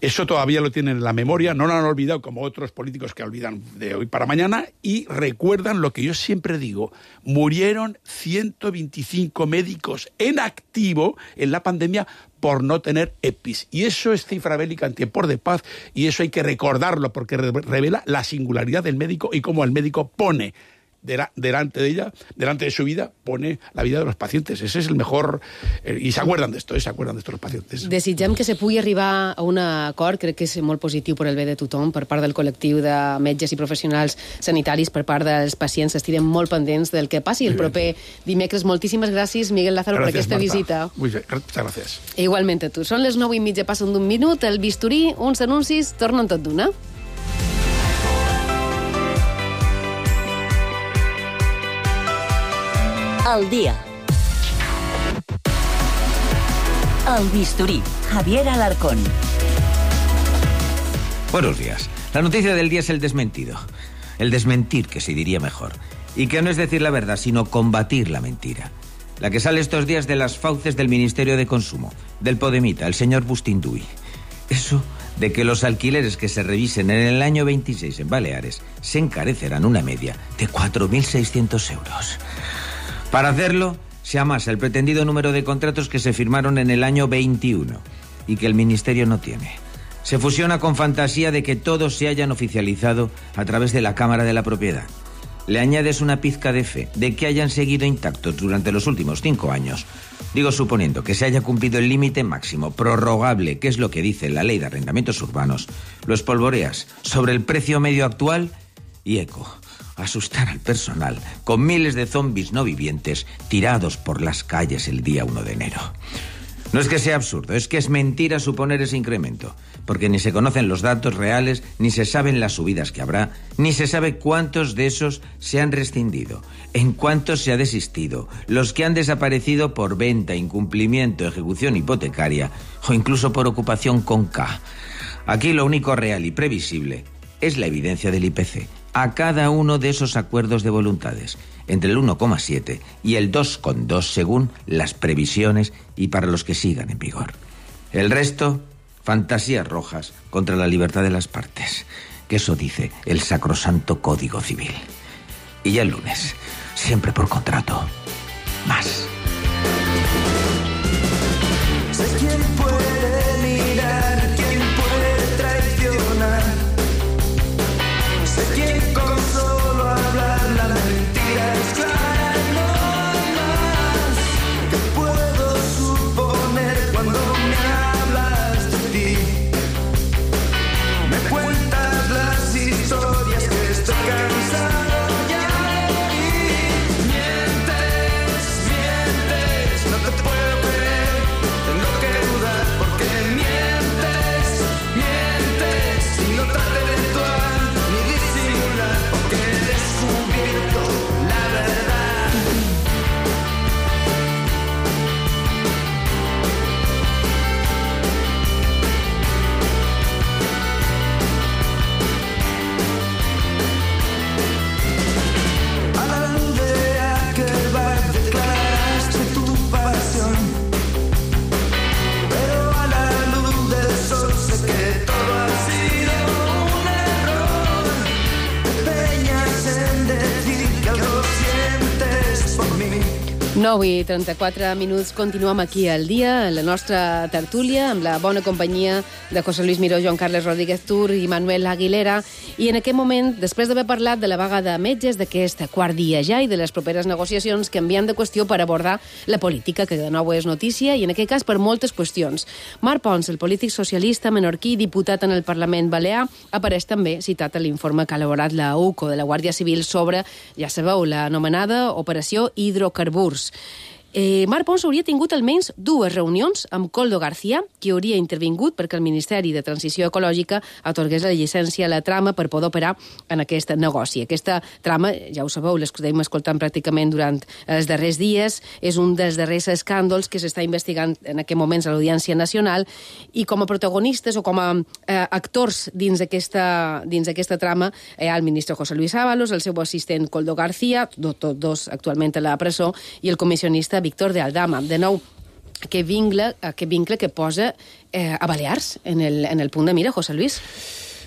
Eso todavía lo tienen en la memoria, no lo han olvidado como otros políticos que olvidan de hoy para mañana, y recuerdan lo que yo siempre digo: murieron ciento veinticinco médicos en activo en la pandemia por no tener E P I s. Y eso es cifra bélica en tiempos de paz, y eso hay que recordarlo porque revela la singularidad del médico y cómo el médico pone delante de ella, delante de su vida, pone la vida de los pacientes. Ese es el mejor... Eh, I s'acuerdan d'esto, eh, s'acuerdan d'esto los pacientes. Desitgem que se pugui arribar a un acord, crec que és molt positiu per al bé de tothom, per part del col·lectiu de metges i professionals sanitaris, per part dels pacients, estirem molt pendents del que passi el proper dimecres. Moltíssimes gràcies, Miguel Lázaro, gracias, per aquesta Marta. visita. Muy bien, muchas gracias. Igualment a tu. Són les nou i mitja, passen d'un minut, el bisturí, uns anuncis, tornen tot d'una. Al día. El bisturí. Javier Alarcón. Buenos días. La noticia del día es el desmentido. El desmentir, que se diría mejor. Y que no es decir la verdad, sino combatir la mentira. La que sale estos días de las fauces del Ministerio de Consumo, del Podemita, el señor Bustinduy. Eso de que los alquileres que se revisen en el año veintiséis en Baleares se encarecerán una media de cuatro mil seiscientos euros. Para hacerlo, se amasa el pretendido número de contratos que se firmaron en el año veintiuno y que el Ministerio no tiene. Se fusiona con fantasía de que todos se hayan oficializado a través de la Cámara de la Propiedad. Le añades una pizca de fe de que hayan seguido intactos durante los últimos cinco años. Digo, suponiendo que se haya cumplido el límite máximo prorrogable, que es lo que dice la Ley de Arrendamientos Urbanos, lo espolvoreas sobre el precio medio actual y eco. Asustar al personal con miles de zombies no vivientes tirados por las calles el día uno de enero. No es que sea absurdo, es que es mentira suponer ese incremento, porque ni se conocen los datos reales, ni se saben las subidas que habrá, ni se sabe cuántos de esos se han rescindido, en cuántos se ha desistido, los que han desaparecido por venta, incumplimiento, ejecución hipotecaria o incluso por ocupación con K. Aquí lo único real y previsible es la evidencia del I P C a cada uno de esos acuerdos de voluntades, entre el uno coma siete y el dos coma dos según las previsiones y para los que sigan en vigor. El resto, fantasías rojas contra la libertad de las partes, que eso dice el sacrosanto Código Civil. Y ya el lunes, siempre por contrato, más. Sé quién puede mirar, quién puede traicionar. Sé quién con solo hablar la mentira es clara, no hay más. Que puedo suponer cuando me hablas de ti. Me cuentas las historias que estoy cansado ya de oír. Mientes, mientes. nou i trenta-quatre minuts, continuem aquí al dia, en la nostra tertúlia, amb la bona companyia de José Luis Miró, Joan Carles Rodríguez Tur i Manuel Aguilera. I en aquest moment, després d'haver parlat de la vaga de metges, d'aquest quart dia ja i de les properes negociacions, canviant de qüestió per abordar la política, que de nou és notícia, i en aquest cas per moltes qüestions. Marc Pons, el polític socialista menorquí, diputat en el Parlament Balear, apareix també citat a l'informe que ha elaborat la U C O de la Guàrdia Civil sobre, ja sabeu, l'anomenada Operació Hidrocarburs. Eh, Marc Pons hauria tingut almenys dues reunions amb Koldo García, qui hauria intervingut perquè el Ministeri de Transició Ecològica atorgués la llicència a la trama per poder operar en aquest negoci. Aquesta trama, ja ho sabeu, l'escoltem escoltant pràcticament durant els darrers dies, és un dels darrers escàndols que s'està investigant en aquest moments a l'Audiència Nacional, i com a protagonistes o com a eh, actors dins aquesta, dins aquesta trama hi ha el ministre José Luis Ábalos, el seu assistent Koldo García, tots dos actualment a la presó, i el comissionista Víctor de Aldama. De nou, aquest vincle, aquest vincle que posa eh, a Balears en el, en el punt de mira, José Luis.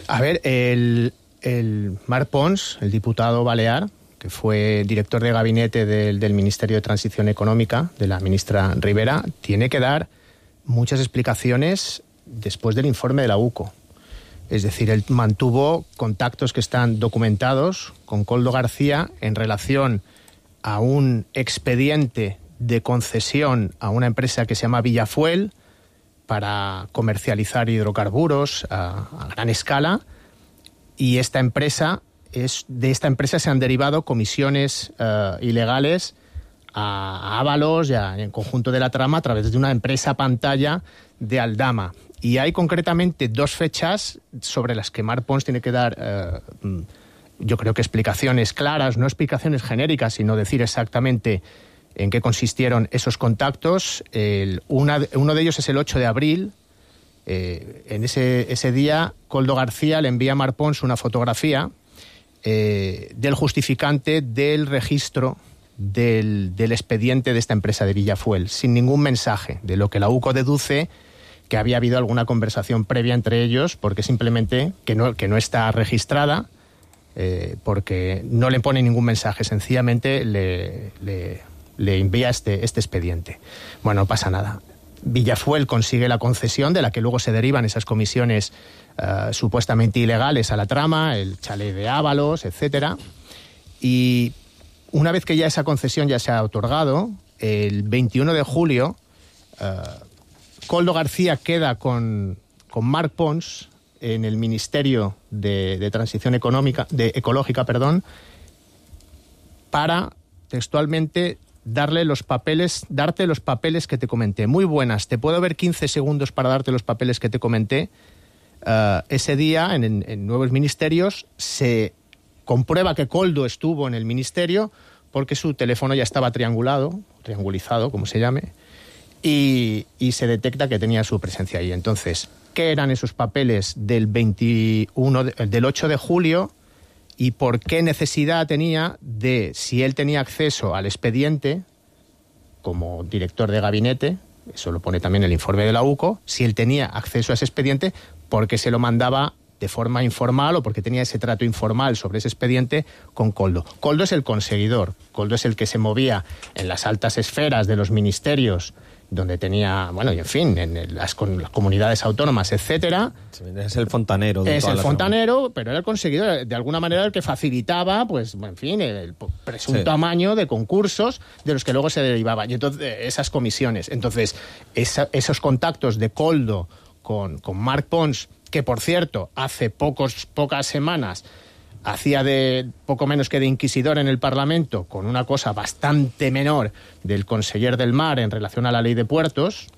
A ver, el, el Marc Pons, el diputado balear, que fue director de gabinete del, del Ministerio de Transición Económica, de la ministra Rivera, tiene que dar muchas explicaciones después del informe de la U C O. Es decir, él mantuvo contactos que están documentados con Koldo García en relación a un expediente de concesión a una empresa que se llama Villafuel para comercializar hidrocarburos a, a gran escala, y esta empresa es, de esta empresa se han derivado comisiones uh, ilegales a, a Ábalos y a, en conjunto de la trama a través de una empresa pantalla de Aldama. Y hay concretamente dos fechas sobre las que Marc Pons tiene que dar, uh, yo creo que explicaciones claras, no explicaciones genéricas, sino decir exactamente en qué consistieron esos contactos. El, una, uno de ellos es el ocho de abril. Eh, en ese, ese día, Koldo García le envía a Marc Pons una fotografía eh, del justificante del registro del, del expediente de esta empresa de Villafuel, sin ningún mensaje, de lo que la U C O deduce que había habido alguna conversación previa entre ellos, porque simplemente que no, que no está registrada, eh, porque no le pone ningún mensaje, sencillamente le... le le envía este, este expediente. Bueno, no pasa nada. Villafuel consigue la concesión de la que luego se derivan esas comisiones uh, supuestamente ilegales a la trama, el chalet de Ábalos, etcétera. Y una vez que ya esa concesión ya se ha otorgado, el veintiuno de julio, uh, Koldo García queda con, con Marc Pons en el Ministerio de, de Transición Económica, de Ecológica, perdón, para textualmente darle los papeles, darte los papeles que te comenté. Muy buenas, te puedo ver quince segundos para darte los papeles que te comenté. Uh, ese día, en, en, en Nuevos Ministerios, se comprueba que Koldo estuvo en el ministerio porque su teléfono ya estaba triangulado, triangulizado, como se llame, y, y se detecta que tenía su presencia ahí. Entonces, ¿qué eran esos papeles del, veintiuno de, del ocho de julio? Y por qué necesidad tenía de, si él tenía acceso al expediente, como director de gabinete, eso lo pone también el informe de la U C O, si él tenía acceso a ese expediente, ¿por qué se lo mandaba de forma informal o porque tenía ese trato informal sobre ese expediente con Koldo? Koldo es el conseguidor, Koldo es el que se movía en las altas esferas de los ministerios, donde tenía, bueno, y en fin, en las, con, las comunidades autónomas, etcétera. Es el fontanero. De es toda el la fontanero, zona. Pero era el conseguidor, de alguna manera el que facilitaba, pues, en fin, el presunto sí. amaño de concursos de los que luego se derivaban. Y entonces, esas comisiones. Entonces, esa, esos contactos de Koldo con, con Marc Pons, que por cierto, hace pocos, pocas semanas hacía de poco menos que de inquisidor en el Parlamento con una cosa bastante menor del conseller del Mar en relación a la ley de puertos,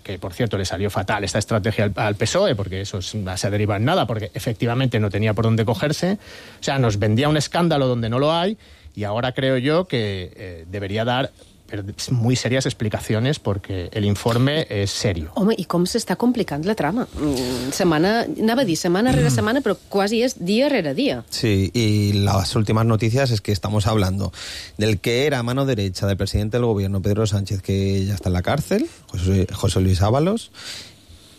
que por cierto le salió fatal esta estrategia al, al P S O E, porque eso se deriva en nada, porque efectivamente no tenía por dónde cogerse. O sea, nos vendía un escándalo donde no lo hay, y ahora creo yo que eh, debería dar muy serias explicaciones, porque el informe és serio. Home, i com s'està complicant la trama? Setmana, anava a dir setmana rere setmana, però quasi és dia rere dia. Sí, y las últimas noticias es que estamos hablando del que era mano derecha del presidente del gobierno, Pedro Sánchez, que ya está en la cárcel, José, José Luis Ábalos,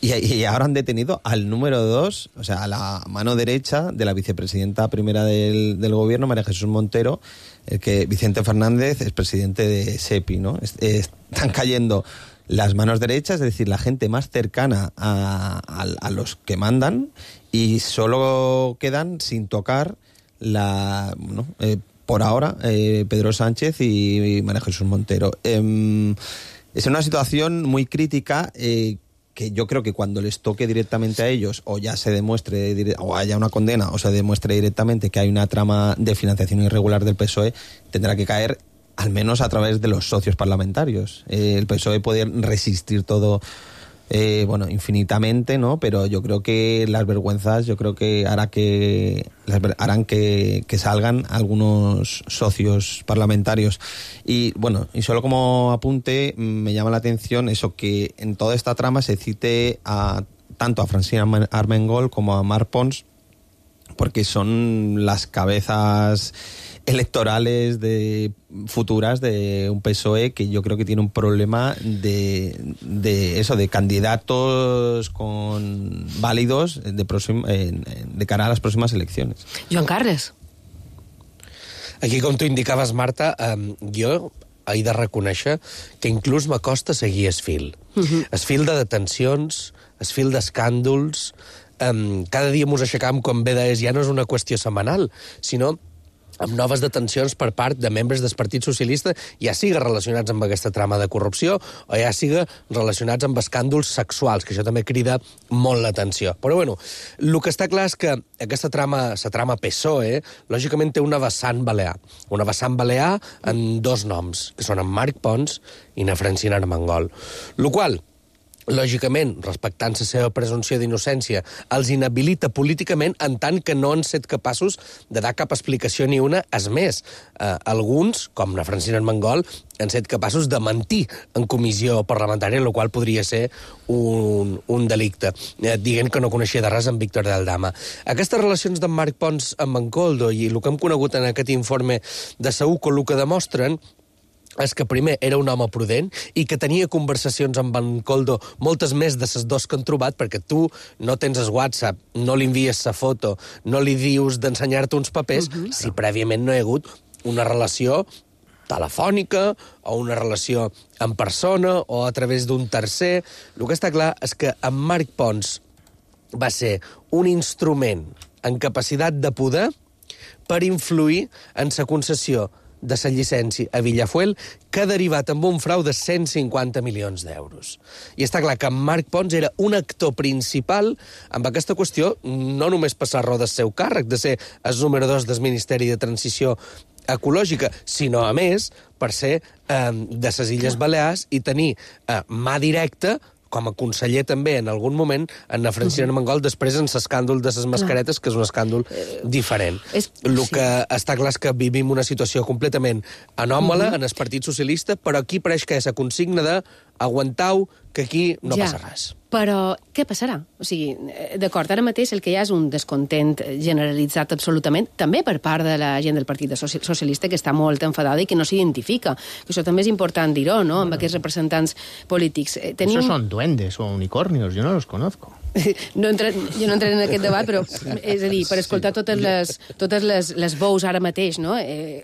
y, y ahora han detenido al número dos, o sea, a la mano derecha de la vicepresidenta primera del, del gobierno, María Jesús Montero, el que Vicente Fernández es presidente de SEPI, ¿no? Están cayendo las manos derechas, es decir, la gente más cercana a, a, a los que mandan, y solo quedan sin tocar la, ¿no? eh, por ahora eh, Pedro Sánchez y, y María Jesús Montero. Eh, es una situación muy crítica eh, que yo creo que cuando les toque directamente a ellos, o ya se demuestre, o haya una condena, o se demuestre directamente que hay una trama de financiación irregular del P S O E, tendrá que caer al menos a través de los socios parlamentarios. Eh, el P S O E puede resistir todo, eh, bueno, infinitamente, ¿no? Pero yo creo que las vergüenzas, yo creo que hará que las, harán que, que salgan algunos socios parlamentarios. Y bueno, y solo como apunte, me llama la atención eso, que en toda esta trama se cite a tanto a Francina Armengol como a Marc Pons, porque son las cabezas electorales de futuras de un P S O E que yo creo que tiene un problema de, de eso, de candidatos con válidos de, próxim, eh, de cara a las próximas elecciones. Joan Carles. Aquí, com tu indicaves, Marta, eh, jo he de reconèixer que inclús m'acosta seguir es fil. Uh-huh. Es fil de detencions, es fil d'escàndols. Eh, cada dia mos aixecam, com bé deies, ja no és una qüestió setmanal, sinó amb noves detencions per part de membres del Partit Socialista, ja siga relacionats amb aquesta trama de corrupció o ja siga relacionats amb escàndols sexuals, que això també crida molt l'atenció. Però, bueno, el que està clar és que aquesta trama, la trama P S O E, lògicament té una vessant balear. Una vessant balear en dos noms, que són en Marc Pons i na Francina Armengol. Lo qual, lògicament, respectant la seva presumpció d'innocència, els inhabilita políticament en tant que no han set capaços de dar cap explicació ni una. És més, eh, alguns, com la Francina Armengol, han set capaços de mentir en comissió parlamentària, el qual podria ser un, un delicte, eh, dient que no coneixia de res en Víctor Daldama. Aquestes relacions d'en Marc Pons amb en Koldo i el que hem conegut en aquest informe de Saúco, el que demostren és que primer era un home prudent i que tenia conversacions amb en Koldo, moltes més de les dos que han trobat, perquè tu no tens el WhatsApp, no li envies la foto, no li dius d'ensenyar-te uns papers, uh-huh. si prèviament no hi ha hagut una relació telefònica o una relació en persona o a través d'un tercer. El que està clar és que en Marc Pons va ser un instrument en capacitat de poder per influir en la concessió de la llicència a Villafuel, que ha derivat amb un frau de cent cinquanta milions d'euros. I està clar que en Marc Pons era un actor principal amb aquesta qüestió, no només passar raó del seu càrrec, de ser el número dos del Ministeri de Transició Ecològica, sinó, a més, per ser eh, de les Illes Balears i tenir eh, mà directa com a conseller també, en algun moment, en la Francina Armengol, després en l'escàndol de les mascaretes, que és un escàndol diferent. El que està clar és que vivim una situació completament anòmala en el Partit Socialista, però aquí pareix que és la consigna de aguantau, que aquí no ja, passa res. Però què passarà? O sigui, d'acord, ara mateix el que hi ha és un descontent generalitzat absolutament, també per part de la gent del Partit Socialista, que està molt enfadada i que no s'identifica. Això també és important dir-ho, no?, amb aquests representants polítics. Tenim... Esos son duendes o unicornios, yo no los conozco. No entra, jo no entraré en aquest debat, però és a dir, per escoltar totes les, totes les, les veus ara mateix, no? Eh,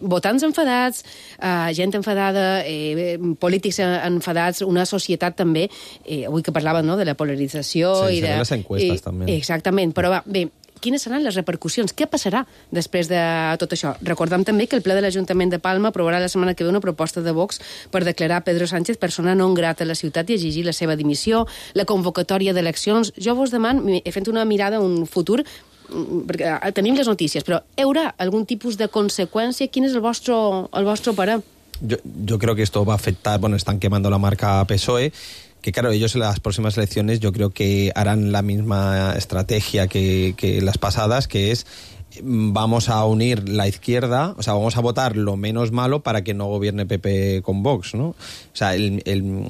votants enfadats, eh, gent enfadada, eh, polítics enfadats, una societat també, eh, avui que parlava, no?, de la polarització sí, i de... les encuestes i, també. Exactament, però va, bé, quines seran les repercussions? Què passarà després de tot això? Recordem també que el ple de l'Ajuntament de Palma aprovarà la setmana que ve una proposta de Vox per declarar Pedro Sánchez persona non grata a la ciutat i exigir la seva dimissió, la convocatòria d'eleccions. Jo vos demano, he fet una mirada a un futur, perquè tenim les notícies, però hi haurà algun tipus de conseqüència? Quin és el vostre, el vostre parer? Yo, yo creo que esto va a afectar, bueno, están quemando la marca P S O E, que claro, ellos en las próximas elecciones yo creo que harán la misma estrategia que, que las pasadas, que es vamos a unir la izquierda, o sea, vamos a votar lo menos malo para que no gobierne P P con Vox, ¿no? O sea, el, el,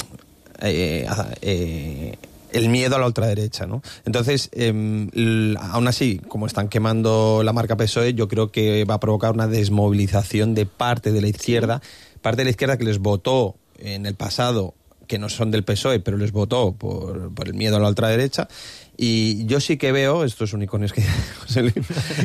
eh, eh, el miedo a la ultraderecha, ¿no? Entonces, eh, aún así, como están quemando la marca P S O E, yo creo que va a provocar una desmovilización de parte de la izquierda, parte de la izquierda que les votó en el pasado que no son del P S O E, pero les votó por, por el miedo a la ultraderecha. Y yo sí que veo, estos unicornios que José Luis,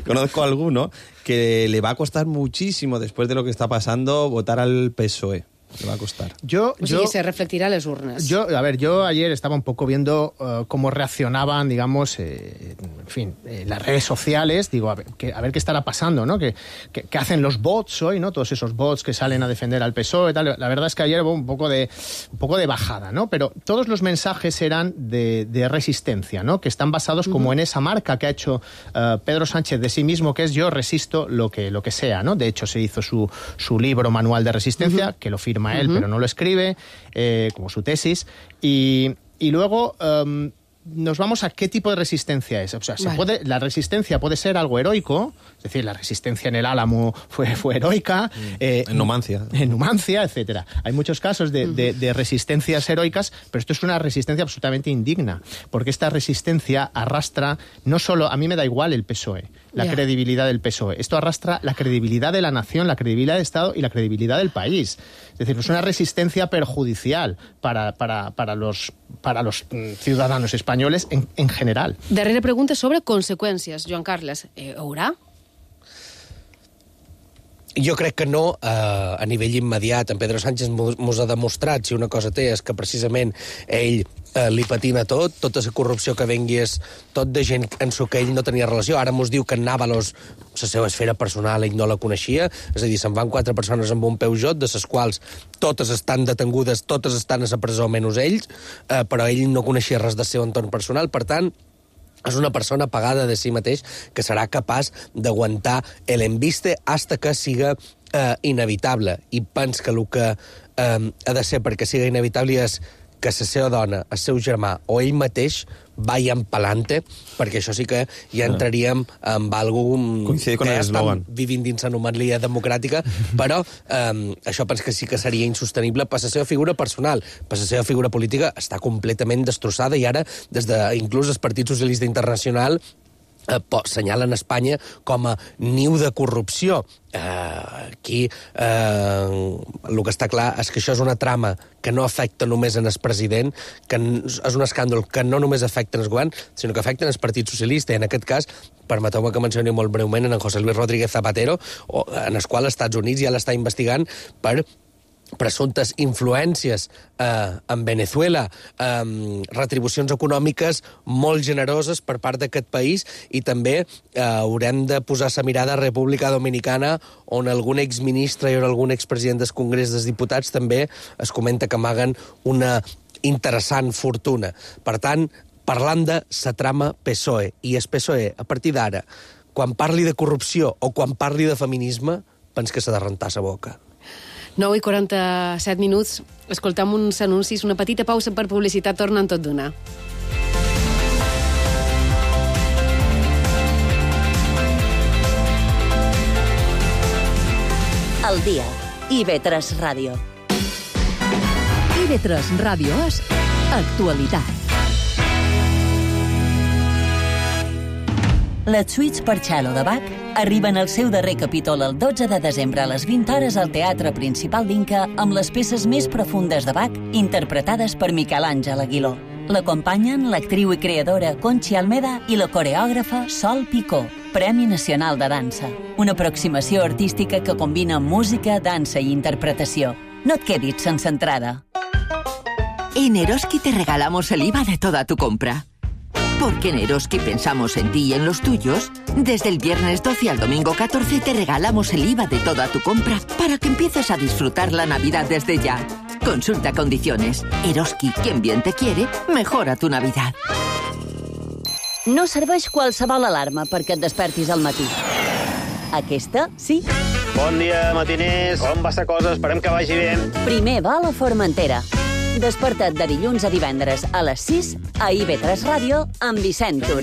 conozco a alguno, que le va a costar muchísimo, después de lo que está pasando, votar al P S O E. Le va a costar. Yo, o sigui, yo, se reflectirá en las urnas. Yo, a ver, yo ayer estaba un poco viendo uh, cómo reaccionaban, digamos, eh, en fin, eh, las redes sociales. Digo, a ver, que, a ver qué estará pasando, ¿no? Que, que, que hacen los bots hoy, ¿no? Todos esos bots que salen a defender al P S O E y tal. La verdad es que ayer hubo un poco de, un poco de bajada, ¿no? Pero todos los mensajes eran de, de resistencia, ¿no? Que están basados uh-huh. como en esa marca que ha hecho uh, Pedro Sánchez de sí mismo, que es yo resisto lo que, lo que sea, ¿no? De hecho, se hizo su, su libro Manual de Resistencia, uh-huh. que lo firma él, uh-huh. pero no lo escribe, eh, como su tesis, y, y luego um, nos vamos a qué tipo de resistencia es. O sea, se vale. puede, la resistencia puede ser algo heroico, es decir, la resistencia en el Álamo fue, fue heroica. Eh, en Numancia. En Numancia, etcétera. Hay muchos casos de, de, de resistencias heroicas, pero esto es una resistencia absolutamente indigna, porque esta resistencia arrastra, no solo, a mí me da igual el P S O E, la yeah. credibilidad del P S O E. Esto arrastra la credibilidad de la nación, la credibilidad del Estado y la credibilidad del país. Es decir, es una resistencia perjudicial para, para, para, los, para los ciudadanos españoles en, en general. Darrera pregunta sobre conseqüències. Joan Carles, eh, haurà? Jo crec que no, eh, a nivell immediat. En Pedro Sánchez mos ha demostrat, si una cosa té, és que precisament ell eh, li patina tot, tota la corrupció que vengui és tot de gent en su que ell no tenia relació. Ara mos diu que en Nàvalos, la seva esfera personal, ell no la coneixia, és a dir, se'n van quatre persones amb un Peugeot, de les quals totes estan detengudes, totes estan a la presó menys ells, eh, però ell no coneixia res del seu entorn personal, per tant, és una persona pagada de si mateix que serà capaç d'aguantar l'embiste hasta que siga eh, inevitable. I pens que el que eh, ha de ser perquè siga inevitable és que la seva dona, el seu germà o ell mateix vayan pa'lante, perquè això sí que ja entraríem amb algú que ja estan vivint dins l'anomalia democràtica, però eh, això penso que sí que seria insostenible per la seva figura personal. Per la seva figura política està completament destrossada i ara, des de inclús el Partit Socialista Internacional Eh, senyalen Espanya com a niu de corrupció. Eh, aquí eh, el que està clar és que això és una trama que no afecta només en el president, que és un escàndol que no només afecta en el govern, sinó que afecta en el Partit Socialista. I en aquest cas, permeteu-me que mencioni molt breument en José Luis Rodríguez Zapatero, en el qual els Estats Units ja l'està investigant per presumptes influències eh, en Venezuela, eh, retribucions econòmiques molt generoses per part d'aquest país, i també eh, haurem de posar la mirada a República Dominicana, on algun exministre i algun expresident del Congrés dels Diputats també es comenta que amaguen una interessant fortuna. Per tant, parlant de la trama P S O E, i el P S O E, a partir d'ara, quan parli de corrupció o quan parli de feminisme, pens que s'ha de rentar la boca. nou i quaranta-set minuts. Escoltam uns anuncis, una petita pausa per publicitat, tornen tot d'una. El dia. I ve tres Ràdio. I ve tres Ràdio és actualitat. Les suites per cello de Bach arriben al seu darrer capítol el dotze de desembre a les vint hores al Teatre Principal d'Inca amb les peces més profundes de Bach interpretades per Miquel Àngel Aguiló. L'acompanyen l'actriu i creadora Conchi Almeda i la coreògrafa Sol Picó, Premi Nacional de Dansa. Una aproximació artística que combina música, dansa i interpretació. No et quedis sense entrada. En Eroski te regalamos el I V A de toda tu compra. Porque en Eroski pensamos en ti y en los tuyos. Desde el viernes doce al domingo catorce te regalamos el I V A de toda tu compra para que empieces a disfrutar la Navidad desde ya. Consulta condiciones. Eroski, quien bien te quiere, mejora tu Navidad. No serveix qualsevol alarma perquè et despertis al matí. Aquesta, sí. Bon dia, matiners. Com va la cosa? Esperem que vagi bé. Primer va a la Formentera. Desperta't de dilluns a divendres a les sis a I V tres Ràdio amb Vicent Tur.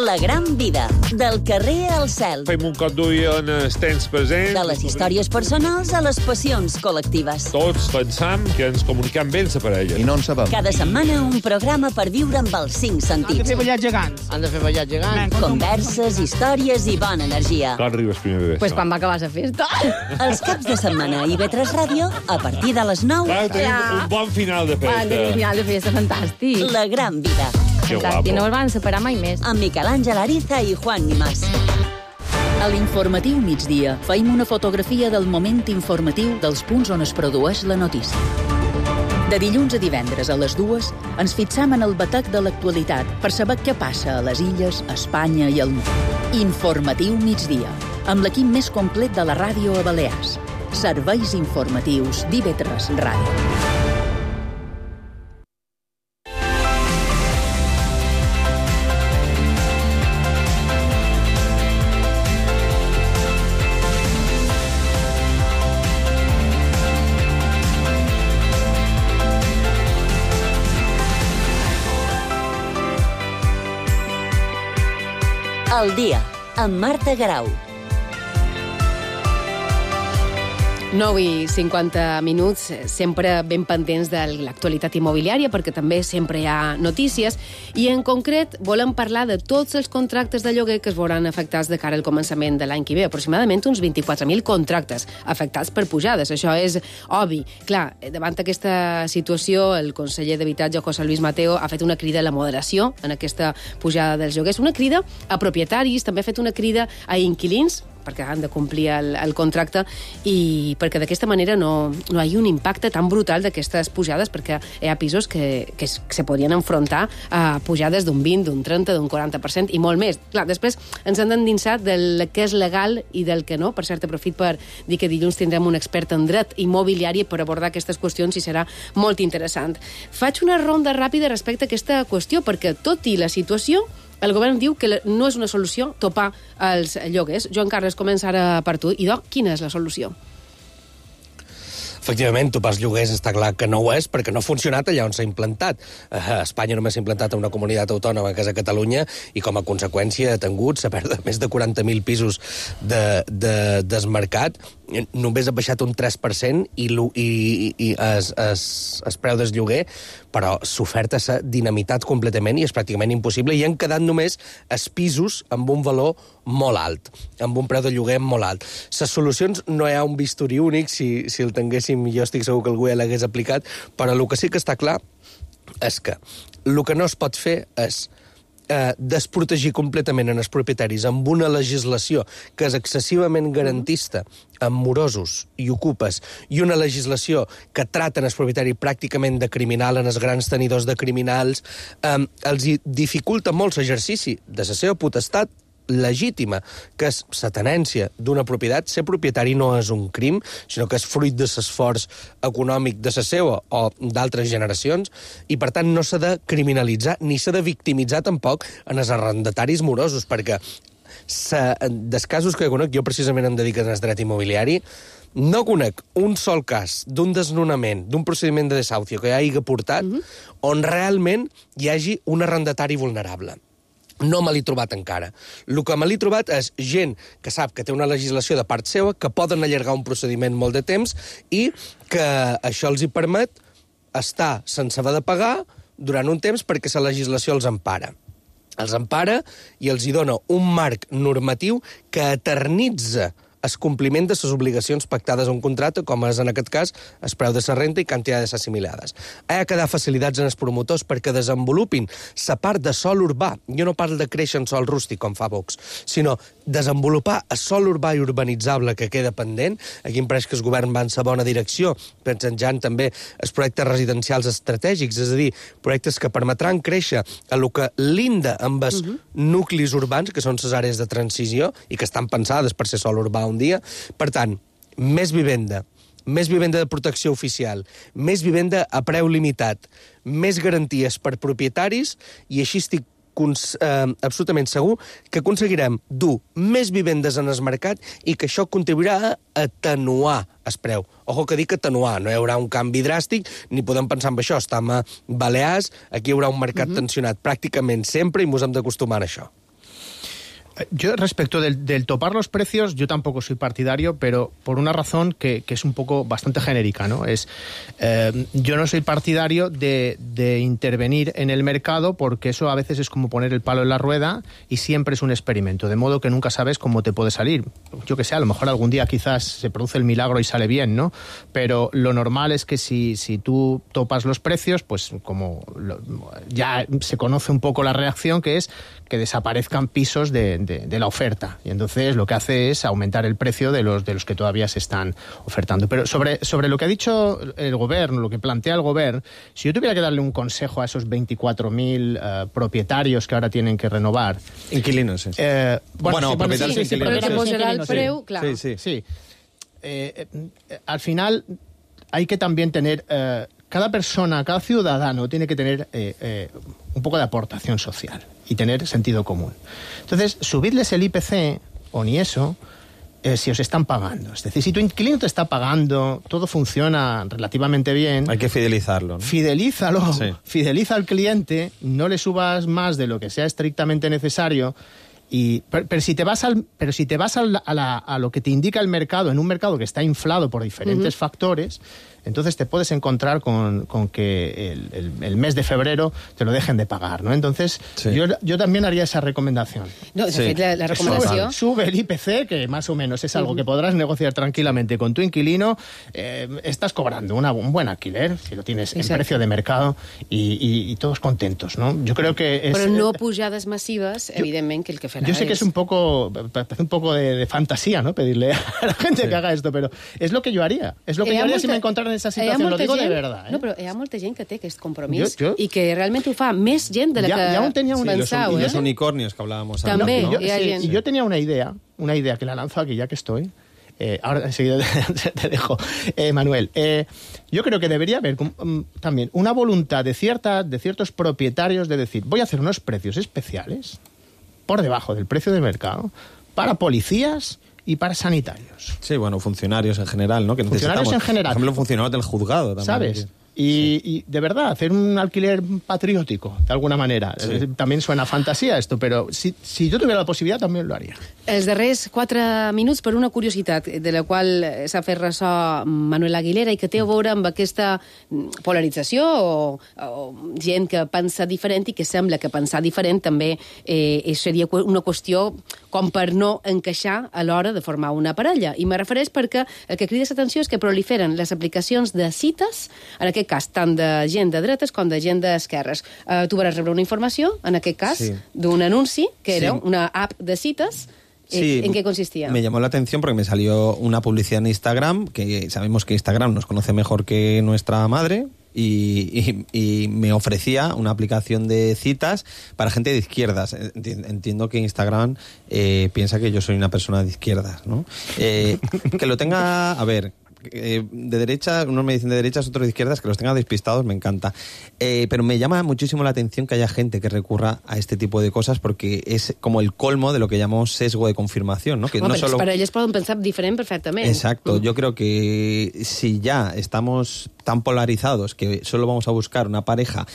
La gran vida, del carrer al cel. Fem un cop d'ull en els temps presents. De les històries personals a les passions col·lectives. Tots pensam que ens comunicam bé amb la parella. I no en sabem. Cada setmana un programa per viure amb els cinc sentits. Han de fer ballar gegants. Han de fer ballar gegants. Converses, històries i bona energia. Quan arribes primer bebè? Pues quan va acabar la festa. Els caps de setmana a I V tres Ràdio, a partir de les nou. Clar, tenim Ja. un bon final de festa. Van tenir un final de festa fantàstic. La gran vida. Que Fantàstic, no guapo. el van separar mai més. Amb Miquel Àngel Ariza i Juan Nimás. A l'informatiu migdia feim una fotografia del moment informatiu dels punts on es produeix la notícia. De dilluns a divendres a les dues ens fixam en el batec de l'actualitat per saber què passa a les illes, a Espanya i al món. Informatiu migdia, amb l'equip més complet de la ràdio a Balears. Serveis informatius d'I V tres Ràdio. El dia, amb Marta Garau. nou i cinquanta minuts, sempre ben pendents de l'actualitat immobiliària, perquè també sempre hi ha notícies, i en concret volem parlar de tots els contractes de lloguer que es veuran afectats de cara al començament de l'any que ve. Aproximadament uns vint-i-quatre mil contractes afectats per pujades. Això és obvi. Clar, davant aquesta situació, el conseller d'Habitatge, José Luis Mateo, ha fet una crida a la moderació en aquesta pujada dels lloguers, una crida a propietaris, també ha fet una crida a inquilins, perquè han de complir el, el contracte i perquè d'aquesta manera no, no hi ha un impacte tan brutal d'aquestes pujades, perquè hi ha pisos que, que, es, que se podien enfrontar a pujades d'un vint, d'un trenta, d'un quaranta per cent i molt més. Clar, després ens han endinsat del que és legal i del que no. Per cert, aprofit per dir que dilluns tindrem un expert en dret immobiliari per abordar aquestes qüestions i serà molt interessant. Faig una ronda ràpida respecte a aquesta qüestió, perquè tot i la situació, el govern diu que no és una solució topar els lloguers. Joan Carles, comença ara per tu. Idò, quina és la solució? Efectivament, topar els lloguers està clar que no ho és, perquè no ha funcionat allà on s'ha implantat. A Espanya només s'ha implantat a una comunitat autònoma, que és a Catalunya, i com a conseqüència ha tingut, s'ha perdut més de quaranta mil pisos de, de, desmarcat, només ha baixat un tres per cent i, i, i es, es, es preu del lloguer, però l'oferta s'ha dinamitat completament i és pràcticament impossible, i han quedat només els pisos amb un valor molt alt, amb un preu de lloguer molt alt. Les solucions no hi ha un bisturí únic, si, si el tinguéssim jo estic segur que algú ja l'hagués aplicat, però el que sí que està clar és que el que no es pot fer és eh, desprotegir completament en els propietaris amb una legislació que és excessivament garantista amb morosos i ocupes, i una legislació que trata els propietaris pràcticament de criminal, en els grans tenidors de criminals, eh, els dificulta molt l'exercici de la seva potestat legítima, que és la tenència d'una propietat. Ser propietari no és un crim, sinó que és fruit de l'esforç econòmic de la seva o d'altres generacions, i per tant no s'ha de criminalitzar ni s'ha de victimitzar tampoc en els arrendataris morosos, perquè sa, dels casos que conec, jo precisament em dedico al dret immobiliari, no conec un sol cas d'un desnonament, d'un procediment de desahucio que hagi portat, mm-hmm. on realment hi hagi un arrendatari vulnerable. No me l'he trobat encara. El que me l'he trobat és gent que sap que té una legislació de part seva, que poden allargar un procediment molt de temps i que això els hi permet estar sense haver de pagar durant un temps perquè la legislació els empara. Els empara i els hi dona un marc normatiu que eternitza el compliment de les obligacions pactades a un contracte, com és en aquest cas el preu de la renta i quantitats assimilades. Ha de dar facilitats als promotors perquè desenvolupin la part de sòl urbà. Jo no parlo de créixer en sòl rústic, com fa Vox, sinó desenvolupar el sòl urbà i urbanitzable que queda pendent. Aquí em pareix que el govern va en la bona direcció, pensant també els projectes residencials estratègics, és a dir, projectes que permetran créixer a lo que linda amb els uh-huh. nuclis urbans, que són les àrees de transició i que estan pensades per ser sòl urbà un dia. Per tant, més vivenda, més vivenda de protecció oficial, més vivenda a preu limitat, més garanties per propietaris, i així estic eh, absolutament segur que aconseguirem dur més vivendes en el mercat i que això contribuirà a atenuar el preu. Ojo que dic atenuar, no hi haurà un canvi dràstic, ni podem pensar en això. Estem a Balears, aquí hi haurà un mercat uh-huh. tensionat pràcticament sempre i ens hem d'acostumar a això. Yo, respecto del, del topar los precios, yo tampoco soy partidario, pero por una razón que, que es un poco bastante genérica, ¿no? Es, eh, yo no soy partidario de, de intervenir en el mercado porque eso a veces es como poner el palo en la rueda y siempre es un experimento, de modo que nunca sabes cómo te puede salir. Yo que sé, a lo mejor algún día quizás se produce el milagro y sale bien, ¿no? Pero lo normal es que si, si tú topas los precios, pues como lo, ya se conoce un poco la reacción, que es que desaparezcan pisos de De, de la oferta, y entonces lo que hace es aumentar el precio de los de los que todavía se están ofertando. Pero sobre, sobre lo que ha dicho el gobierno, lo que plantea el gobierno, si yo tuviera que darle un consejo a esos veinticuatro mil uh, propietarios que ahora tienen que renovar... Inquilinos, sí. Eh, bueno, bueno, sí, propietarios sí, sí, inquilinos. Pero que posarà el preu, clar. Sí, sí. sí. Eh, eh, al final hay que también tener... Eh, cada persona, cada ciudadano tiene que tener eh, eh, un poco de aportación social y tener sentido común. Entonces, subidles el I P C, o ni eso, eh, si os están pagando. Es decir, si tu inquilino te está pagando, todo funciona relativamente bien... Hay que fidelizarlo, ¿no? Fidelízalo, Sí. Fideliza al cliente, no le subas más de lo que sea estrictamente necesario... Y, pero, pero si te vas al, pero si te vas al, a, la, a lo que te indica el mercado, en un mercado que está inflado por diferentes uh-huh. factores, entonces te puedes encontrar con, con que el, el, el mes de febrero te lo dejen de pagar, ¿no? Entonces, sí. yo, yo también haría esa recomendación. No, de sí. fet, la, la recomanació... Sube, sube el I P C, que más o menos es algo uh-huh. que podrás negociar tranquilamente con tu inquilino. Eh, estás cobrando una, un buen alquiler, si lo tienes Exacte. En precio de mercado, y, y, y todos contentos, ¿no? Yo creo que es... Però no pujades massives, jo, evidentment, que el que farà Yo sé que es un poco, parece un poco de, de fantasía, ¿no? Pedirle a la gente sí. que haga esto, pero es lo que yo haría. Es lo que yo haría molta, si me encontrara en esa situación, lo digo gent, de verdad. ¿eh? No, però hi ha molta gent que té aquest compromís jo, jo... i que realment ho fa més gent de la ya, que ya tenía un... pensau. Sí, los, ¿eh? y los unicornios que hablábamos antes. També, ¿no? yo, hi ha sí, gent. Y yo tenía una idea, una idea que la lanzo aquí ya que estoy. Eh, ahora enseguida te, te dejo, eh, Manuel. Eh, yo creo que debería haber um, también una voluntad de, cierta, de ciertos propietarios de decir, voy a hacer unos precios especiales por debajo del precio de mercado para policías y para sanitarios. Sí, bueno, funcionarios en general, ¿no? Que funcionarios en general. Por ejemplo, funcionarios del juzgado también. ¿Sabes? Y, sí. y de verdad, hacer un alquiler patriótico, de alguna manera. Sí. También suena fantasía esto, pero si, si yo tuviera la possibilitat també lo haria. Els darrers quatre minuts per una curiositat de la qual s'ha fet ressò Manuel Aguilera i que té a veure amb aquesta polarització o, o gent que pensa diferent i que sembla que pensar diferent també eh, seria una qüestió com per no encaixar a l'hora de formar una parella. I me refereix perquè el que crida l'atenció és que proliferen les aplicacions de cites, en aquest cas tant de gent de dretes com de gent d'esquerres. Uh, tu vas rebre una informació, en aquest cas, sí. d'un anunci que era sí. una app de cites. Sí, ¿en qué consistía? Me llamó la atención porque me salió una publicidad en Instagram, que sabemos que Instagram nos conoce mejor que nuestra madre, y, y, y me ofrecía una aplicación de citas para gente de izquierdas. Entiendo que Instagram eh, piensa que yo soy una persona de izquierdas, ¿no? Eh, que lo tenga... A ver... Eh, de derecha, unos me dicen de derechas, otros de izquierdas, que los tenga despistados, me encanta. Eh, pero me llama muchísimo la atención que haya gente que recurra a este tipo de cosas porque es como el colmo de lo que llamamos sesgo de confirmación, ¿no? Que bueno, no solo... Para ellos pueden pensar diferente perfectamente. Exacto, mm. yo creo que si ya estamos tan polarizados que solo vamos a buscar una pareja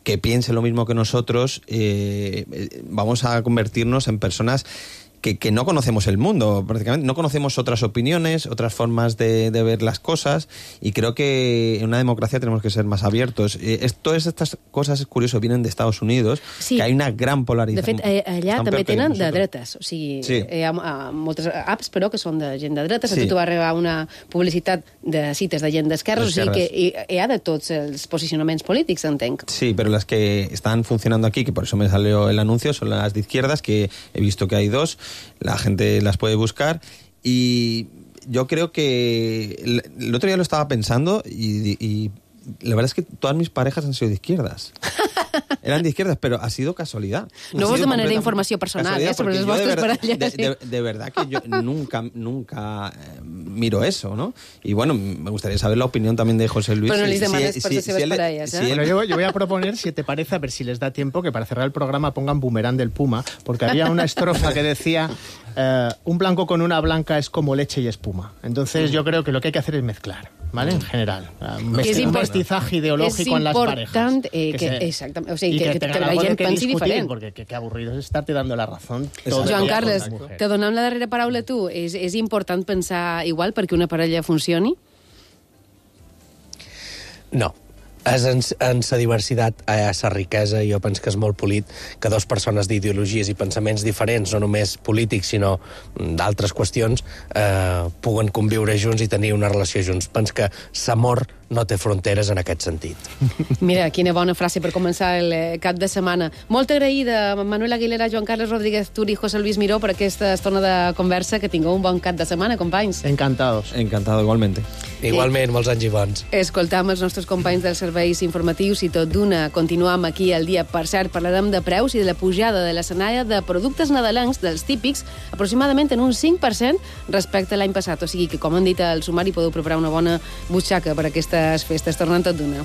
que piense lo mismo que nosotros, eh, vamos a convertirnos en personas Que, que no conocemos el mundo, prácticamente. No conocemos otras opiniones, otras formas de, de ver las cosas, y creo que en una democracia tenemos que ser más abiertos. Eh, es, todas estas cosas, es curioso, vienen de Estados Unidos, sí. que hay una gran polarización. De fet, eh, allà Estan també tenen de dretes. O sigui, sí. hi ha uh, moltes apps, però, que són de gent de dretes. Sí. A tu va arribar una publicitat de cites de gent d'esquerres, o sigui que hi, hi ha de tots els posicionaments polítics, entenc. Sí, pero las que están funcionando aquí, que por eso me salió el anuncio, son las de izquierdas, que he visto que hay dos. La gente las puede buscar y yo creo que el, el otro día lo estaba pensando y, y la verdad es que todas mis parejas han sido de izquierdas. Eran de izquierdas, pero ha sido casualidad. No vos demanaré informació personal eh, sobre les vostres parelles. De, de, de verdad que yo nunca, nunca eh, miro eso, ¿no? Y bueno, me gustaría saber la opinión también de José Luis. Pero no les si, demanes si, per si, les seves si parelles, ¿eh? Si bueno, yo, yo voy a proponer, si te parece, a ver si les da tiempo, que para cerrar el programa pongan Boomerang del Puma, porque había una estrofa que decía... Uh, un blanco con una blanca es como leche y espuma. Entonces yo creo que lo que hay que hacer es mezclar. ¿vale? En general. Un, Que és un import- mestizaje ideológico és en las parejas. important eh, Que que, se- exactament, o sigui, y que, que, que, que tengan la algo de gent que pensi discutir, diferent. porque qué aburrido es estarte dando la razón. todo el Joan día Carles, con la mujer. te donem la darrera paraula a tu. És, és important pensar igual perquè una parella funcioni? No. És en, en sa diversitat, a sa riquesa, jo penso que és molt polit que dues persones d'ideologies i pensaments diferents, no només polítics, sinó d'altres qüestions, eh, puguen conviure junts i tenir una relació junts. Penso que l'amor no té fronteres en aquest sentit. Mira, quina bona frase per començar el eh, cap de setmana. Molt agraïda, Manuel Aguilera, Joan Carles Rodríguez Tur i José Luis Miró per aquesta estona de conversa. Que tingueu un bon cap de setmana, companys. Encantados. Encantado, igualmente. Igualment, molts anys i bons. Escoltam els nostres companys dels serveis informatius i tot d'una continuam aquí al dia. Per cert, parlarem de preus i de la pujada de l'escenària de productes nadalencs, dels típics, aproximadament en un cinc per cent respecte a l'any passat. O sigui que, com han dit al sumari, podeu preparar una bona butxaca per aquestes festes. Tornem tot d'una.